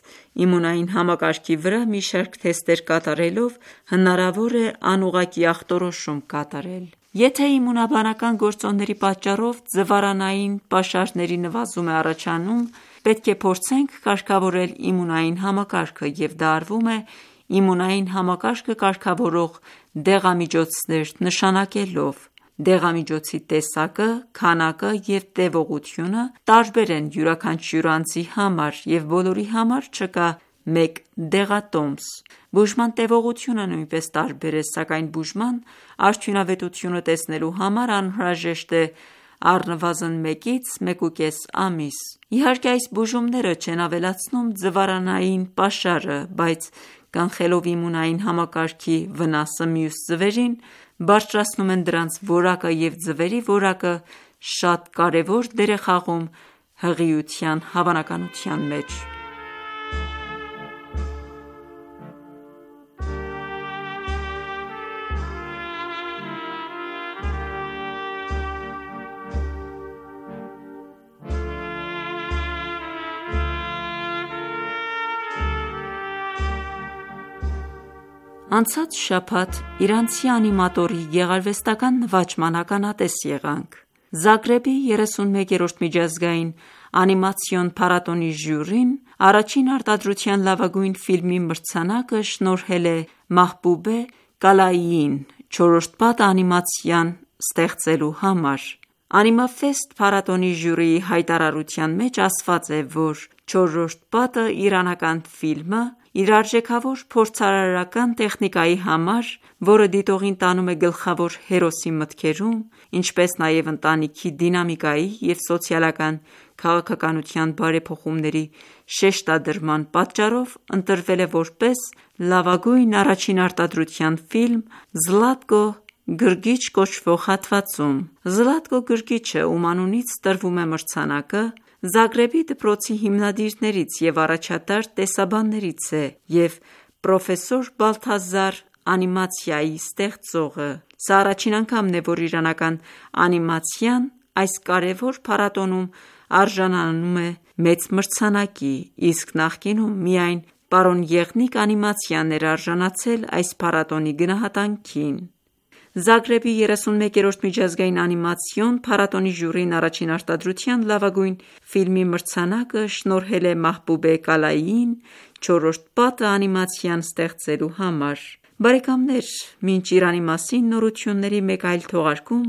իմունային համակարգի վրա մի շարք թեստեր կատարելով հնարավոր է անուղղակի ախտորոշում կատարել։ Եթե իմունաբանական գործոնների պատճառով ձվարանային պաշարների նվազում է առաջանում, պետք է փորձենք կարգավորել իմունային համակարգը, և դա արվում է իմունային համակարգը կարգավորող դեղամիջոցներ նշանակելով։ Դեղամիջոցի տեսակը, քանակը և տևողությունը տարբեր են յուրաքանչյուր անձի համար, և բոլորի համար չկա մեկ դեղատոմս։ Բուժման տևողությունը նույնպես տարբեր է, սակայն բուժման արդյունավետությունը տեսնելու համար անհրաժեշտ է առնվազն մեկից մեկուկես ամիս։ Իհարկե, այս բուժումները չեն ավելացնում ձվարանային պաշարը, բայց կանխելով իմունային համակարգի վնասը մյուս ձվերին, բարձրացնում են դրանց որակը և ձվերի որակը շատ կարևոր դեր է խաղում հղիության հավանականության մեջ։ Անցած շաբաթ իրանցի անիմատորի գեղարվեստական նվաճման ականատես եղանք։ Զագրեբի երեսունմեկերորդ միջազգային անիմացիոն փառատոնի ժյուրին առաջին արտադրության լավագույն ֆիլմի մրցանակը շնորհել է Մահբուբե Կալայիին «Չորրորդ պատը» անիմացիան ստեղծելու համար։ Անիմաֆեստ փառատոնի ժյուրիի հայտարարության մեջ ասված է, որ «Չորրորդ պատը» իրանական ֆիլմը իր արժեքավոր փորձարարական տեխնիկայի համար, որը դիտողին տանում է գլխավոր հերոսի մտքերում, ինչպես նաև ընտանիքի դինամիկայի և սոցիալական քաղաքականության բարեփոխումների շեշտադրման պատճառով ընտրվել է որպես լավագույն առաջին արտադրության ֆիլմ «Զլատկո գրգիչ» կոչվող հատվածում։ «Զլատկո գրգիչը», ում անունից տրվում է մրցանակը, Զագրեբի դպրոցի հիմնադիրներից և առաջատար տեսաբաններից է և պրոֆեսոր Բալթազար անիմացիայի ստեղծողը։ Սա առաջին անգամն է, որ իրանական անիմացիան այս կարևոր փառատոնում արժանանում է մեծ մրցանակի, իսկ նախկինում միայն «Պարոն Եղնիկ» անիմացիան էր արժանացել այս փառատոնի գնահատանքին։ Զագրեբի երեսունմեկերորդ միջազգային անիմացիոն փառատոնի ժյուրին առաջին արտադրության լավագույն ֆիլմի մրցանակը շնորհել է Մահբուբե Կալայիին «Չորրորդ պատը» անիմացիան ստեղծելու համար։ Բարեկամներ, մինչ Իրանի մասին նորությունների մեկ այլ թողարկում,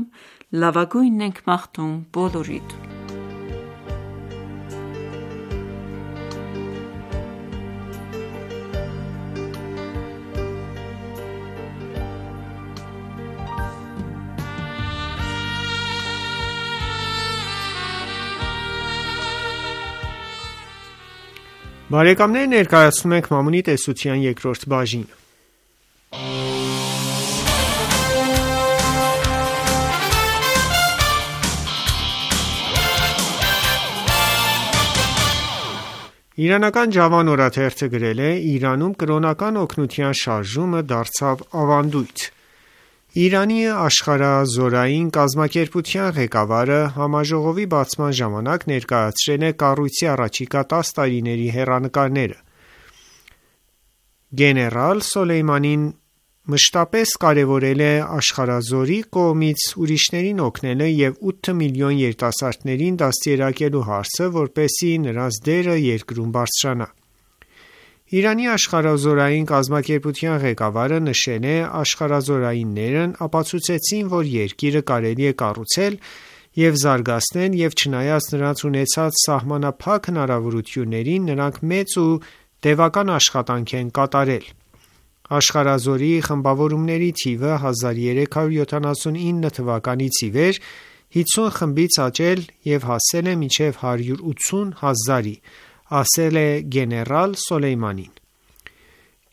լավագույնն ենք մաղթում բոլորիդ։ Բարեկամներ, ներկայացնում ենք Մամունի տեսության երկրորդ բաժինը։ Իրանական Ջավան օրաթերթը գրել է. Իրանում կրոնական օգնության շարժումը դարձավ ավանդույթ։ Իրանի աշխարհազորային կազմակերպության ղեկավարը համաժողովի բացման ժամանակ ներկայացրել է կառույցի առաջիկա տասը տարիների հեռանկարները։ Գեներալ Սոլեյմանին մշտապես կարևորել է աշխարհազորի կողմից ուրիշներին օգնելը և ութ միլիոն երիտասարդներին դաստիարակելու հարցը, որպեսզի նրանց դերը երկրում բարձրանա։ Իրանի աշխարհազորային կազմակերպության ղեկավարը նշել է. աշխարհազորայիններն ապացուցեցին, որ երկիրը կարելի է կառուցել և զարգացնել և չնայած նրանց ունեցած սահմանափակ հնարավորություններին, նրանք մեծ ու տևական աշխատանք են կատարել։ Աշխարհազորի խմբավորումների թիվը հազար երեք հարյուր յոթանասունինը թվականից ի վեր հիսուն խմբից աճել և հասել է մինչև հարյուր ութսուն հազարի, ասել է գեներալ Սոլեյմանին։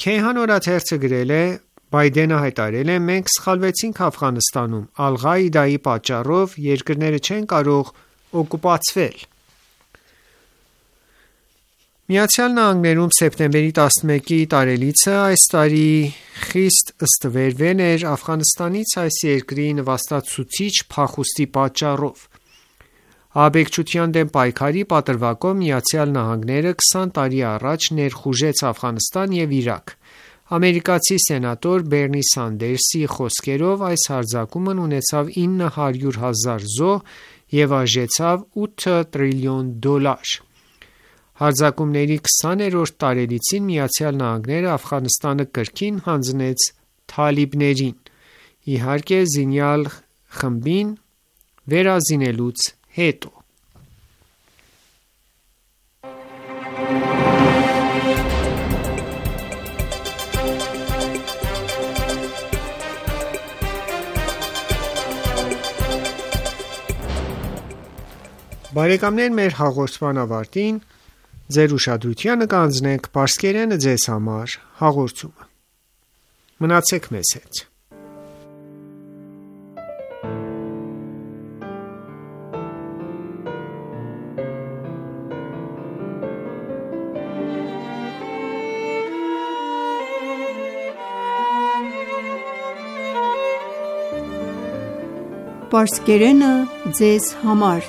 Քեյհան օրաթերթը գրել է. Բայդենը հայտարարել է. մենք սխալվեցինք Աֆղանստանում, Ալ-Ղաիդայի պատճառով երկրները չեն կարող օկուպացվել։ Միացյալ Նահանգներում սեպտեմբերի տասնմեկի տարելիցը այս տարի խիստ ստվերվել էր Աֆղանստանից այս երկրի նվաստացուցիչ փախուստի պատճառով։ Ահաբեկչության դեմ պայքարի պատրվակով Միացյալ Նահանգները քսան տարի առաջ ներխուժեց Աֆղանստան և Իրաք։ Ամերիկացի սենատոր Բերնի Սանդերսի խոսքերով այս հարձակումն ունեցավ ինը հարյուր հազար զոհ և արժեցավ ութ տրիլիոն դոլար։ Հարձակումների քսաներորդ տարելիցին Միացյալ Նահանգները Աֆղանստանը կրկին հանձնեց թալիբներին, իհարկե զինյալ խմբին վերազինելուց հետո։ Բարեկամներ, մեր հաղորդման ավարտին ձեր ուշադրությանը կհանձնենք «Պարսկերենը ձեզ համար» հաղորդումը։ Մնացեք մեզ հետ։ Պարսկերենը ձեզ համար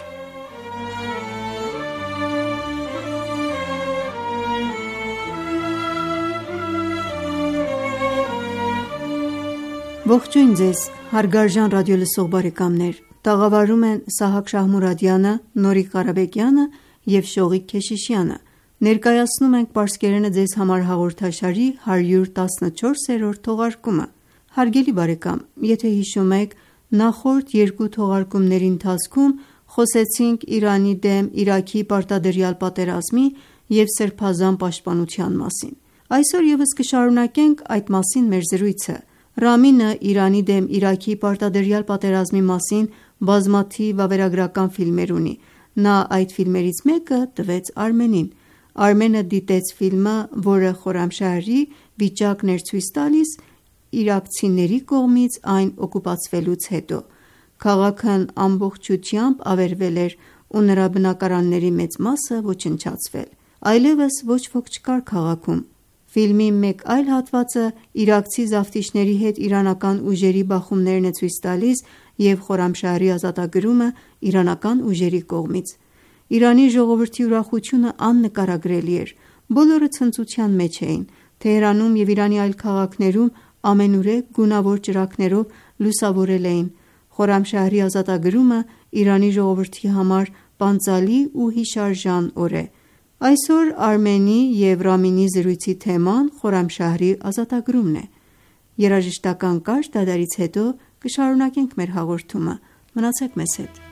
Ողջույն ձեզ, հարգարժան ռադիոլսող բարեկամներ, տաղավարում են Սահակ Շահմուրադյանը, Նորիկ Ղարաբեկյանը և Շողիկ Քեշիշյանը։ Ներկայացնում ենք «Պարսկերենը ձեզ համար» հաղորդաշարի հարյուր տասնչորսերորդ թողարկումը։ Հարգելի բարեկամ, եթե հիշում եք, նախորդ երկու թողարկումների ընթացքում խոսեցինք Իրանի դեմ Իրաքի պարտադրյալ պատերազմի և Սրբազան պաշտպանության մասին։ Այսօր ևս կշարունակենք այդ մասին մեր զրույցը։ Ռամինը Իրանի դեմ Իրաքի պարտադրյալ պատերազմի մասին բազմաթիվ վավերագրական ֆիլմեր ունի։ Նա այդ ֆիլմերից մեկը տվեց Արմենին։ Արմենը դիտեց ֆիլմը, որը Խորամշահրի վիճակն էր ցույց տալիս իրաքցիների կողմից այն օկուպացվելուց հետո։ Քաղաքն ամբողջությամբ ավերվել էր ու նրա բնակարանների մեծ մասը ոչնչացվել։ Այլևս ոչ ոք չկար քաղաքում։ Ֆիլմի մեկ այլ հատվածը իրաքցի զավթիչների հետ իրանական ուժերի բախումներն է ցույց տալիս և Խորամշահրի ազատագրումը իրանական ուժերի կողմից։ Իրանի ժողովրդի ուրախությունը աննկարագրելի էր։ Բոլորը ցնծության մեջ էին։ Թեհրանում և Իրանի այլ քաղաքներում ամենուրեք գունավոր ճրագներով լուսավորել էին։ Խորամշահրի ազատագրումը Իրանի ժողովրդի համար պանծալի ու հիշարժան օր է։ Այսօր Արմենի և Ռամինի զրույցի թեման Խորամշահրի ազատագրումն է։ Երաժշտական կարճ դադարից հետո կշարունակենք մեր հաղորդումը։ Մնացեք մեզ հետ։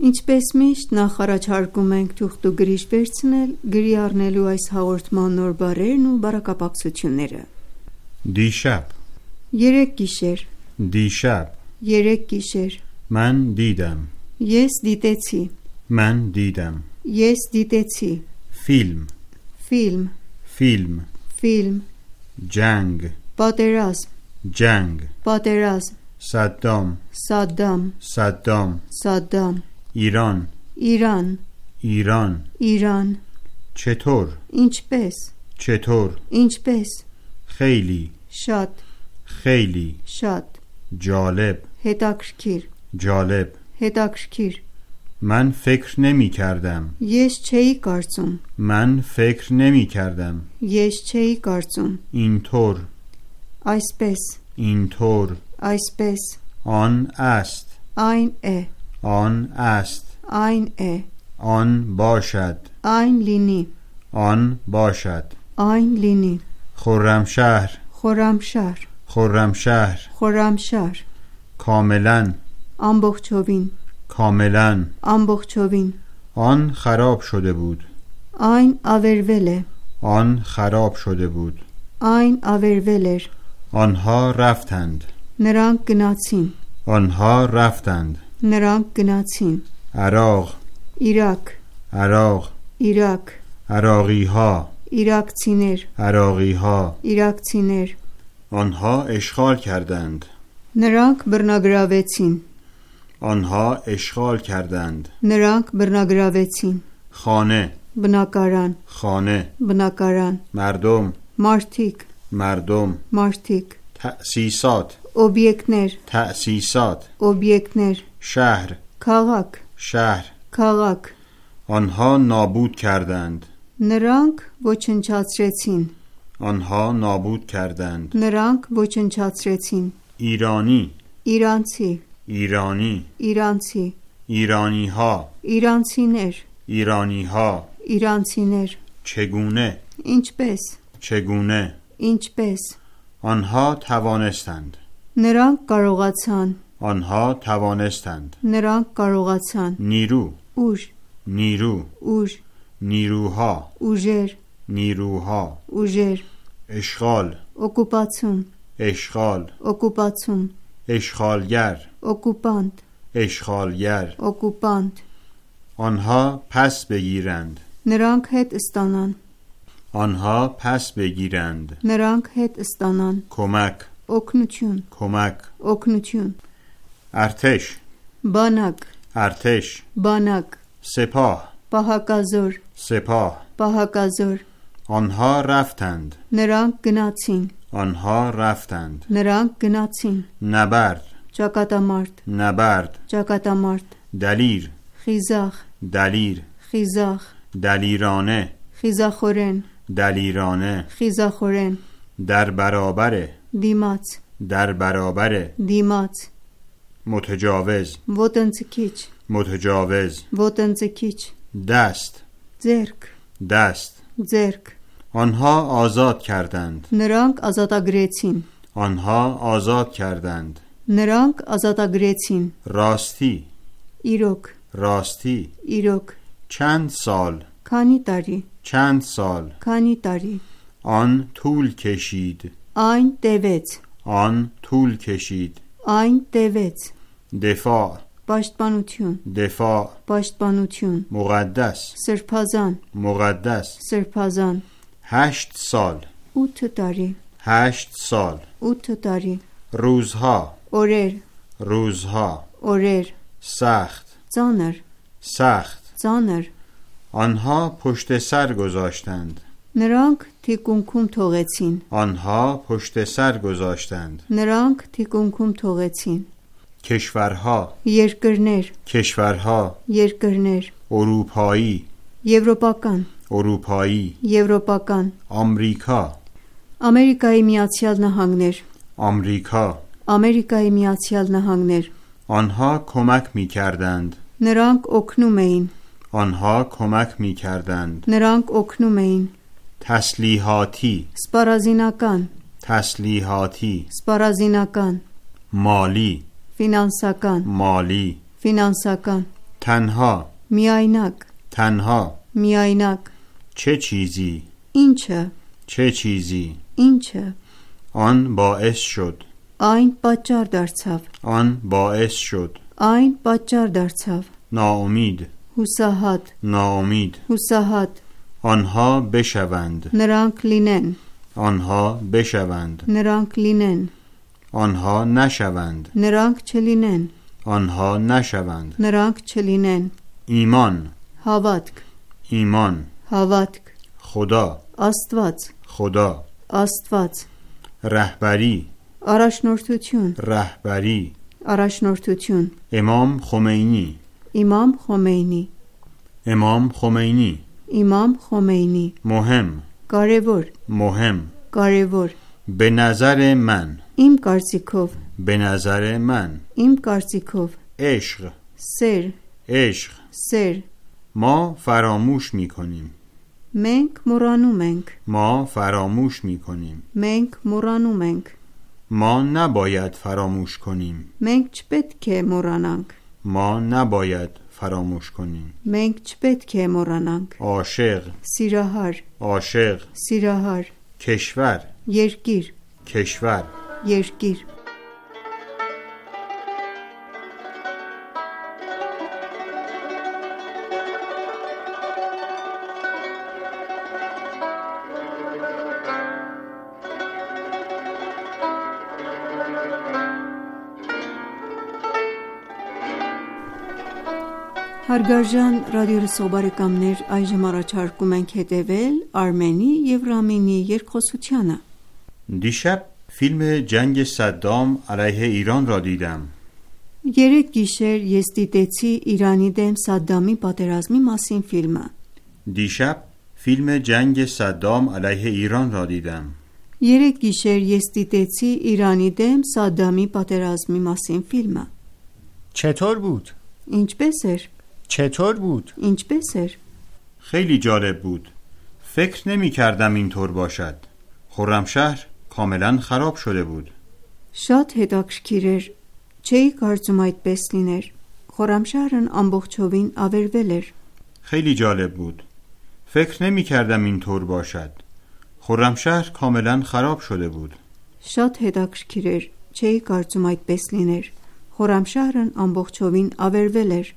Ինչպես միշտ նախ առաջարկում ենք թուղթ ու գրիչ վերցնել գրի առնելու այս հաղորդման նոր բառերն ու բառակապակցությունները։ Դիշապ, երեք գիշեր, դիշապ, երեք գիշեր, Ման դիդամ, ես դիտեցի, Ման դիդամ, ես դիտեցի, Ֆիլմ, ֆիլմ, Ֆիլմ, ֆիլմ, Ջանգ, պատերազմ, Ջանգ, պատերազմ, Սադդամ, Սադդամ, Սադդամ, Սադդամ, Իրան, Իրան, Իրան, Իրան, Չեթոր, ինչպես, Չեթոր, ինչպես, Խեյլի, շատ, Խեյլի, շատ, Ջալեբ, հետաքրքիր, Ջալեբ, հետաքրքիր, Ման ֆեքր նեմի کردم, ես չէի կարծում, Ման ֆեքր նեմի کردم, ես չէի կարծում, اینطور, այսպես, اینطور, այսպես, آن است, այն է, آن است, այն է, آن باشد, այն լինի, آن باشد, այն լինի, خرمشهر, խորամշահր, خرمشهر, խորամշահր, کاملا, ամբողջովին, کاملا, ամբողջովին, آن خراب شده بود, այն ավերվել է, آن خراب شده بود, այն ավերվել էր, آنها رفتند, նրանք գնացին, آنها رفتند, նրանք گنացին, عراق, Իրաք, عراق, Իրաք, عراقی ها, իրաքցիներ, عراقی ها, իրաքցիներ, آنها اشغال کردند, նրանք բռնագրավեցին, آنها اشغال کردند, նրանք բռնագրավեցին, خانه, բնակարան, خانه, բնակարան, مردم, մարդիկ, مردم, մարդիկ, تأسیسات, օբյեկտներ, تأسیسات, օբյեկտներ, شهر, քաղաք, شهر, քաղաք, آنها نابود کردند, նրանք ոչնչացրեցին, آنها نابود کردند, նրանք ոչնչացրեցին, ایرانی, իրանցի, ایرانی, իրանցի, ایرانی ها, իրանցիներ, ایرانی ها, իրանցիներ, چگونه, ինչպես, چگونه, ինչպես, آنها توانستند, նրանք կարողացան, آنها توانستند, նրանք կարողացան, نیرو, ուժ, نیرو, ուժ, نیروها, ուժեր, نیروها, ուժեր, اشغال, օկուպացիոն, اشغال, օկուպացիոն, اشغالگر, օկուպանտ, اشغالگر, օկուպանտ, آنها پس بگیرند, նրանք հետ ստանան, آنها پس بگیرند, նրանք հետ ստանան, کمک, օգնություն, کمک, օգնություն, ارتش, բանակ, ارتش, բանակ, سپاه, պահակազոր, سپاه, պահակազոր, آنها رفتند, նրանք գնացին, آنها رفتند, նրանք գնացին, نبرد, ճակատամարտ, نبرد, ճակատամարտ, دلیر, խիզախ, دلیر, խիզախ, دلیرانه, խիզախորեն, دلیرانه, խիզախորեն, در برابر, դիմաց, در برابر, դիմաց, متجاوز, ոտնձգիչ, متجاوز, ոտնձգիչ, دست, ձերք, دست, ձերք, آنها آزاد کردند, նրանք ազատագրեցին, آنها آزاد کردند, նրանք ազատագրեցին, راستی, իրոք, راستی, իրոք, چند سال, քանի տարի, چند سال, քանի տարի, آن طول کشید, այն տևեց, آن طول کشید, այն տևեց, دفاع, պաշտպանություն, دفاع, պաշտպանություն, مقدس, սրբազան, مقدس, սրբազան, هشت سال, ութ տարի, هشت سال, ութ տարի, روزها, օրեր, روزها օրեր, سخت ծանր, سخت ծանր, آنها پشت سر گذاشتند նրանք թիկունքում թողեցին, آنها پشت سر گذاشتند նրանք թիկունքում թողեցին, کشورها երկրներ, کشورها երկրներ, اروپایی եվրոպական, اروپایی եվրոպական, آمریکا Ամերիկայի Միացյալ Նահանգներ, آمریکا Ամերիկայի Միացյալ Նահանգներ, آنها کمک می کردند նրանք օգնում էին, آنها کمک می کردند նրանք օգնում էին, تسلیحاتی սպառազինական, تسلیحاتی սպառազինական, مالی ֆինանսական, مالی ֆինանսական, تنها միայնակ, تنها միայնակ, چه چیزی ինչը, چه چیزی ինչը, آن باعث شد այն պատճառ դարձավ, آن باعث شد այն պատճառ դարձավ, ناامید հուսահատ, ناامید հուսահատ, آنها بشوند նրանք լինեն, آنها بشوند նրանք լինեն, آنها نشوند նրանք չլինեն, آنها نشوند նրանք չլինեն, ایمان հավատք, ایمان հավատք, خدا Աստված, خدا Աստված, رهبری առաջնորդություն, رهبری առաջնորդություն, امام خمینی Իմամ Խոմեյնի, امام خمینی Իմամ Խոմեյնի, مهم կարևոր, مهم կարևոր, به نظر من իմ կարծիքով, به نظر من իմ կարծիքով, عشق սեր, عشق սեր, ما فراموش می کنیم մենք մոռանում ենք, ما فراموش می کنیم մենք մոռանում ենք, ما نباید فراموش کنیم մենք չպետք է մոռանանք, ما نباید فراموش کنیم մենք չպետք է մոռանանք, عاشق սիրահար, عاشق սիրահար, کشور երկիր, کشور երկիր, Հարգարժան ռադիոլսող բարեկամներ, այժմ առաջարկում ենք հետևել Արմենի և Ռամինի երկխոսությանը։ دیشب فیلم جنگ صدام علیه ایران را دیدم. Երեք գիշեր ես դիտեցի Իրանի դեմ Սադդամի պատերազմի մասին ֆիլմը։ دیشب فیلم جنگ صدام علیه ایران را دیدم. Երեք գիշեր ես դիտեցի Իրանի դեմ Սադդամի պատերազմի մասին ֆիլմը։ چطور بود؟ Ինչպես էր։ چطور بود؟ Ինչպես էր։ خیلی جالب بود. فکر نمی کردم اینطور باشد. خرمشهر کاملا خراب شده بود. Շատ հետաքրքիր էր։ Չէի կարծում այդպես լիներ։ Խորամշահրն ամբողջովին ավերվել էր։ خیلی جالب بود. فکر نمی کردم اینطور باشد. خرمشهر کاملا خراب شده بود. Շատ հետաքրքիր էր։ Չէի կարծում այդպես լիներ։ Խորամշահրն ամբողջովին ավերվել էր։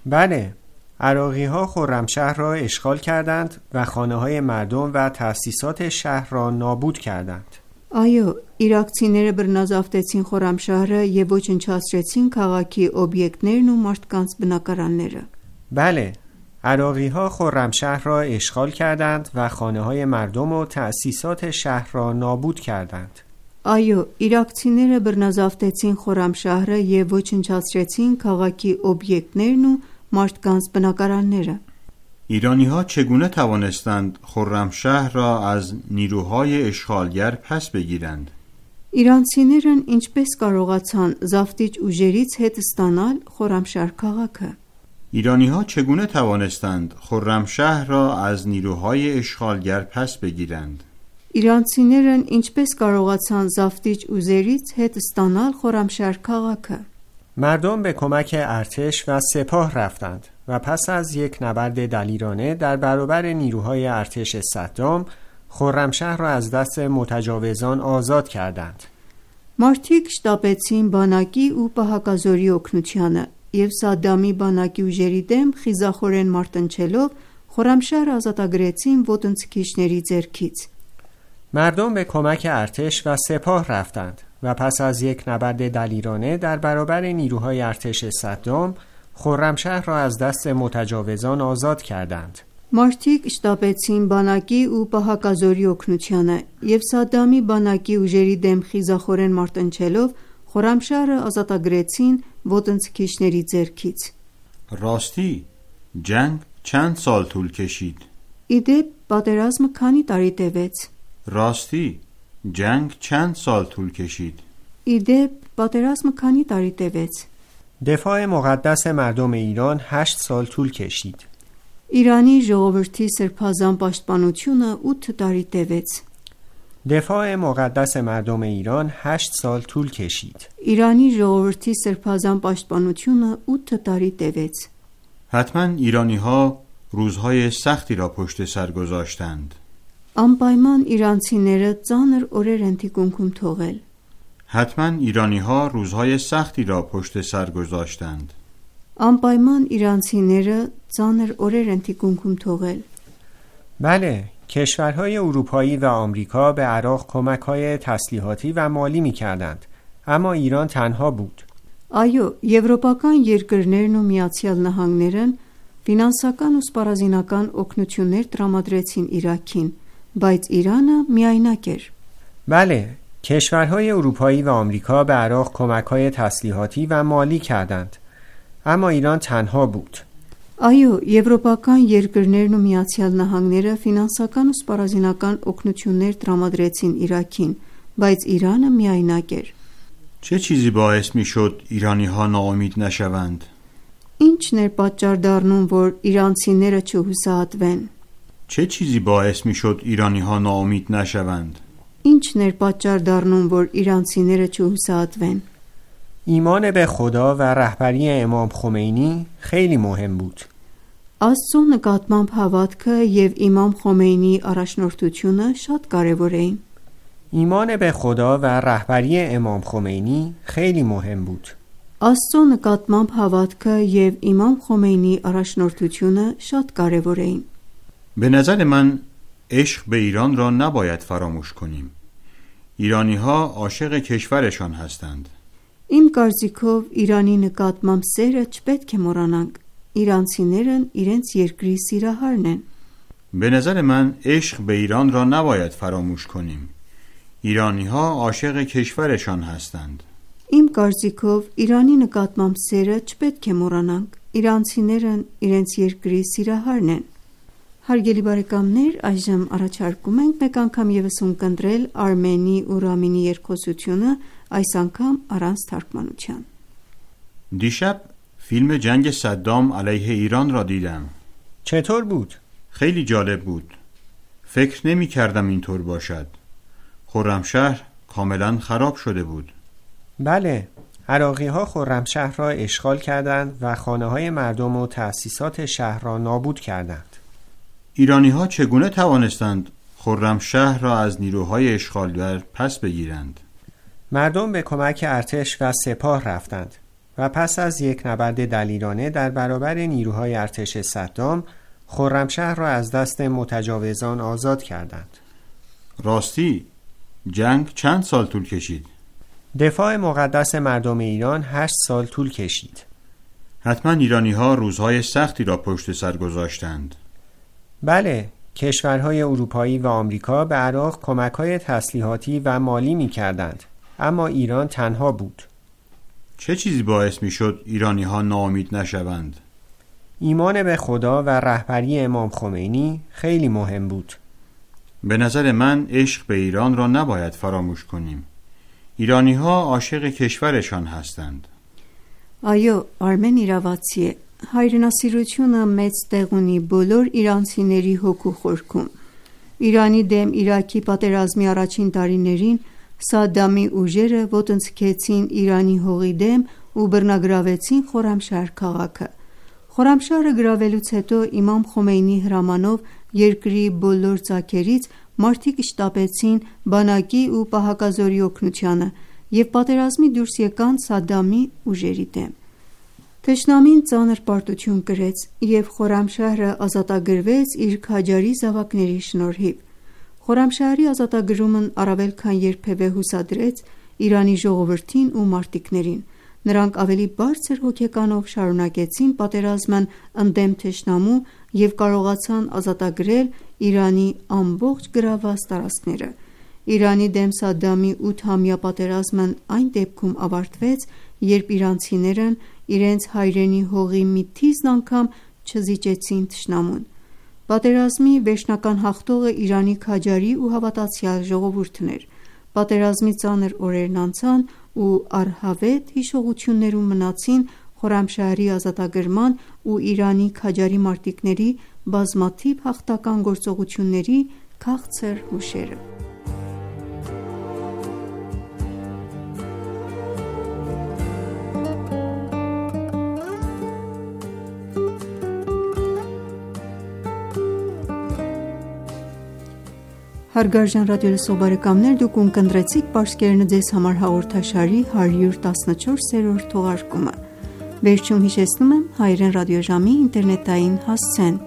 بله، عراقی ها خرمشهر را اشغال کردند و خانه های مردم و تأسیسات شهر را نابود کردند. Այո, իրաքցիները բռնազավթեցին Խորամշահրը եւ ոչնչացրեցին քաղաքի օբյեկտներն ու մարդկանց բնակարանները։ بله، عراقی ها خرمشهر را اشغال کردند و خانه های مردم و تأسیسات شهر را نابود کردند. Այո, իրաքցիները բռնազավթեցին Խորամշահրը եւ ոչնչացրեցին քաղաքի օբյեկտներն ու մարդկանց բնակարանները։ ایرانی‌ها چگونه توانستند خرمشهر را از نیروهای اشغالگر پس بگیرند؟ Իրանցիներն ինչպես կարողացան զավթիչ ուժերից հետ ստանալ Խորամշահր քաղաքը։ ایرانی‌ها چگونه توانستند خرمشهر را از نیروهای اشغالگر پس بگیرند؟ Իրանցիներն ինչպես կարողացան զավթիչ ուժերից հետ ստանալ Խորամշահր քաղաքը։ مردم به کمک ارتش و سپاه رفتند و پس از یک نبرد دلیرانه در برابر نیروهای ارتش صدام، خرمشهر را از دست متجاوزان آزاد کردند. Մարդիկ շտապեցին բանակի ու պահակազորի օգնությանը եւ Սադդամի բանակի ուժերի դեմ խիզախորեն մարտնչելով Խորամշահրը ազատագրեցին ոտնձգիչների ձեռքից։ مردم به کمک ارتش و سپاه رفتند و پس از یک نبرد دلیرانه در برابر نیروهای ارتش صدام خرمشهر را از دست متجاوزان آزاد کردند. Մարդիկ շտապեցին բանակի ու պահակազորի օգնությանը եւ Սադամի բանակի ուժերի դեմ խիզախորեն մարտնչելով Խորամշահրը ազատագրեցին ոտնձգիչների ձեռքից. راستی جنگ چند سال طول کشید؟ Իդեպ պատերազմը քանի տարի տևեց? راستی جنگ چند سال طول کشید؟ Իդեպ պատերազմը քանի տարի տևեց? دفاع مقدس مردم ایران هشت سال طول کشید. Իրանի ժողովրդի սրբազան պաշտպանությունը ութ տարի տևեց. دفاع مقدس مردم ایران هشت سال طول کشید. Իրանի ժողովրդի սրբազան պաշտպանությունը ութ տարի տևեց. حتما ایرانی ها روزهای سختی را پشت سر گذاشتند. Անպայման իրանցիները ծանր օրեր են թիկունքում թողել. حتما ایرانی ها روزهای سختی را پشت سر گذاشتند. Անպայման իրանցիները ծանր օրեր են թիկունքում թողել. بله، کشورهای اروپایی و آمریکا به عراق کمک‌های تسلیحاتی و مالی می‌کردند، اما ایران تنها بود. Այո, եվրոպական երկրներն ու Միացյալ Նահանգներն ֆինանսական ու սպառազինական օգնություններ տրամադրեցին Իրաքին, բայց Իրանը միայնակ էր. بله، کشورهای اروپایی و آمریکا به عراق کمک‌های تسلیحاتی و مالی کردند، اما ایران تنها بود. Այո, եվրոպական երկրներն ու Միացյալ Նահանգները ֆինանսական ու սպառազինական օգնություններ տրամադրեցին Իրաքին, բայց Իրանը միայնակ էր. چه چیزی باعث می شد ایرانی ها ناامید نشوند؟ Ինչն էր պատճառ դառնում, որ իրանցիները չհուսահատվեն? چه چیزی باعث می شد ایرانی ها ناامید نشوند؟ Ինչն էր պատճառ դառնում, որ իրանցիները չհուսահատվեն? ایمان به خدا و رهبری امام خمینی خیلی مهم بود. Աստծո նկատմամբ հավատքը եւ Իմամ Խոմեյնիի առաջնորդությունը շատ կարեւոր էին. ایمان به خدا و رهبری امام خمینی خیلی مهم بود. Աստծո նկատմամբ հավատքը եւ Իմամ Խոմեյնիի առաջնորդությունը շատ կարեւոր էին. به نظر من عشق به ایران را نباید فراموش کنیم. ایرانی ها عاشق کشورشان هستند. Իմ կարծիքով Իրանի նկատմամբ սերը չպետք է մոռանանք. Իրանցիներն իրենց երկրի սիրահարն են. به نظر من عشق به ایران را نباید فراموش کنیم. ایرانی ها عاشق کشورشان هستند. Իմ կարծիքով Իրանի նկատմամբ սերը չպետք է մոռանանք. Իրանցիներն իրենց երկրի սիրահարն են. Հարգելի բարեկամներ, այժմ առաջարկում ենք մեկ անգամ եւս ունկնդրել Արմենի ու Ռամինի երկխոսությունը, այս անգամ առանց թարգմանության. دیشب فیلم جنگ صدام علیه ایران را دیدم. چطور بود؟ خیلی جالب بود. فکر نمی کردم اینطور باشد. خرمشهر کاملا خراب شده بود. بله، عراقی‌ها خرمشهر را اشغال کردند و خانه‌های مردم و تأسیسات شهر را نابود کردند. ایرانی‌ها چگونه توانستند خرمشهر را از نیروهای اشغالگر پس بگیرند؟ مردم به کمک ارتش و سپاه رفتند و پس از یک نبرد دلیرانه در برابر نیروهای ارتش صدام خرمشهر را از دست متجاوزان آزاد کردند. راستی جنگ چند سال طول کشید؟ دفاع مقدس مردم ایران هشت سال طول کشید. حتما ایرانی‌ها روزهای سختی را پشت سر گذاشتند. بله، کشورهای اروپایی و آمریکا به عراق کمک‌های تسلیحاتی و مالی می‌کردند، اما ایران تنها بود. چه چیزی باعث می‌شد ایرانی‌ها ناامید نشوند؟ ایمان به خدا و رهبری امام خمینی خیلی مهم بود. به نظر من عشق به ایران را نباید فراموش کنیم. ایرانی‌ها عاشق کشورشان هستند. Այո, Արմեն իրավացի է. Հայրենասիրությունը մեծ տեղ ունի բոլոր իրանցիների հոգու խորքում. Իրանի դեմ Իրաքի պատերազմի առաջին տարիներին Սադամի ուժերը ոտնձգեցին Իրանի հողի դեմ ու բռնագրավեցին Խորամշահր քաղաքը. Խորամշահրը գրավելուց հետո Իմամ Խոմեյնիի հրամանով երկրի բոլոր ծագերից մարդիկ շտապեցին բանակի ու պահակազորի օգնությանը և պատերազմի դուրս եկան Սադամի ուժերի դեմ։ Թշնամին ծանր պարտություն կրեց և Խորամշահրը ազատագրվեց իր քաջարի զավակների շնորհիվ։ Խորամշահրի ազատագրումն առավել քան երբևէ հուսադրեց Իրանի ժողովրդին ու մարտիկներին։ Նրանք ավելի բարձր հոգեկանով շարունակեցին պատերազմն ընդդեմ թշնամու և կարողացան ազատագրել Իրանի ամբողջ գրավված տարածքները։ Իրանի դեմ Սադամի ութամյա պատերազմն այն դեպքում ավարտվեց, երբ իրանցիներն իրենց հայրենի հողի մի թիզն անգամ չզիջեցին թշնամուն։ Պատերազմի վերջնական հաղթողը Իրանի քաջարի ու հավատացյալ ժողովուրդն էր։ Պատերազմի ծանր օրերն անցան ու առհավետ հիշողություններում մնացին Խորամշահրի ազատագրման ու Իրանի քաջարի մարտիկների բազմաթիվ հաղթական գործողությունների քաղցր հուշերը։ Հարգարժան ռադիոլսող բարեկամներ, դուք ունկնդրեցիք Պարսկերենը ձեզ համար հաղորդաշարի հարյուր տասնչորսերորդ թողարկումը։ Վերջում հիշեցնում եմ հայերեն ռադիոժամի ինտերնետային հասցեն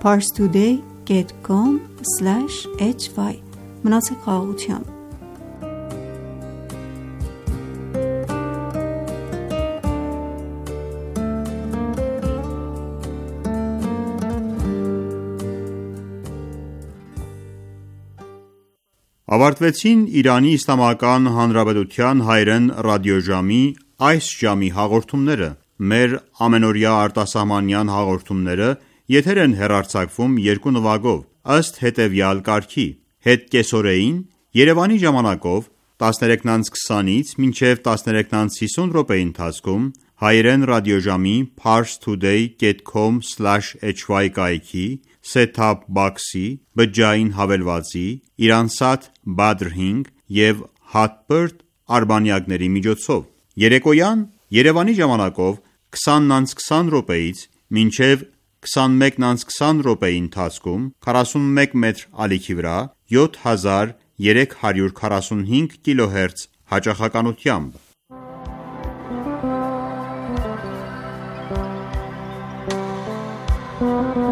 parstoday dot com slash h y։ Մնացեք խաղաղությամբ։ Ավարտվեցին Իրանի Իսլամական Հանրապետության հայերեն ռադիոժամի այս ժամի հաղորդումները։ Մեր ամենօրյա արտասահմանյան հաղորդումները եթեր են հեռարձակվում երկու նվագով, ըստ հետևյալ կարգի. հետ կեսօրեին Երևանի ժամանակով տասներեքից քսանից մինչև տասներեքից հիսուն րոպեի ընթացքում հայերեն ռադիոժամի parstoday dot com slash h y կայքի set-top box-ի, բջջային հավելվածի, Iransat Badr հինգ և Hotbird արբանյակների միջոցով։ Երեկոյան Երևանի ժամանակով քսանից քսան րոպեից մինչև քսանմեկից քսան րոպեի ընթացքում քառասունմեկ մետր ալիքի վրա յոթ հազար երեք հարյուր քառասունհինգ կիլոհերց հաճախականությամբ։ Thank you.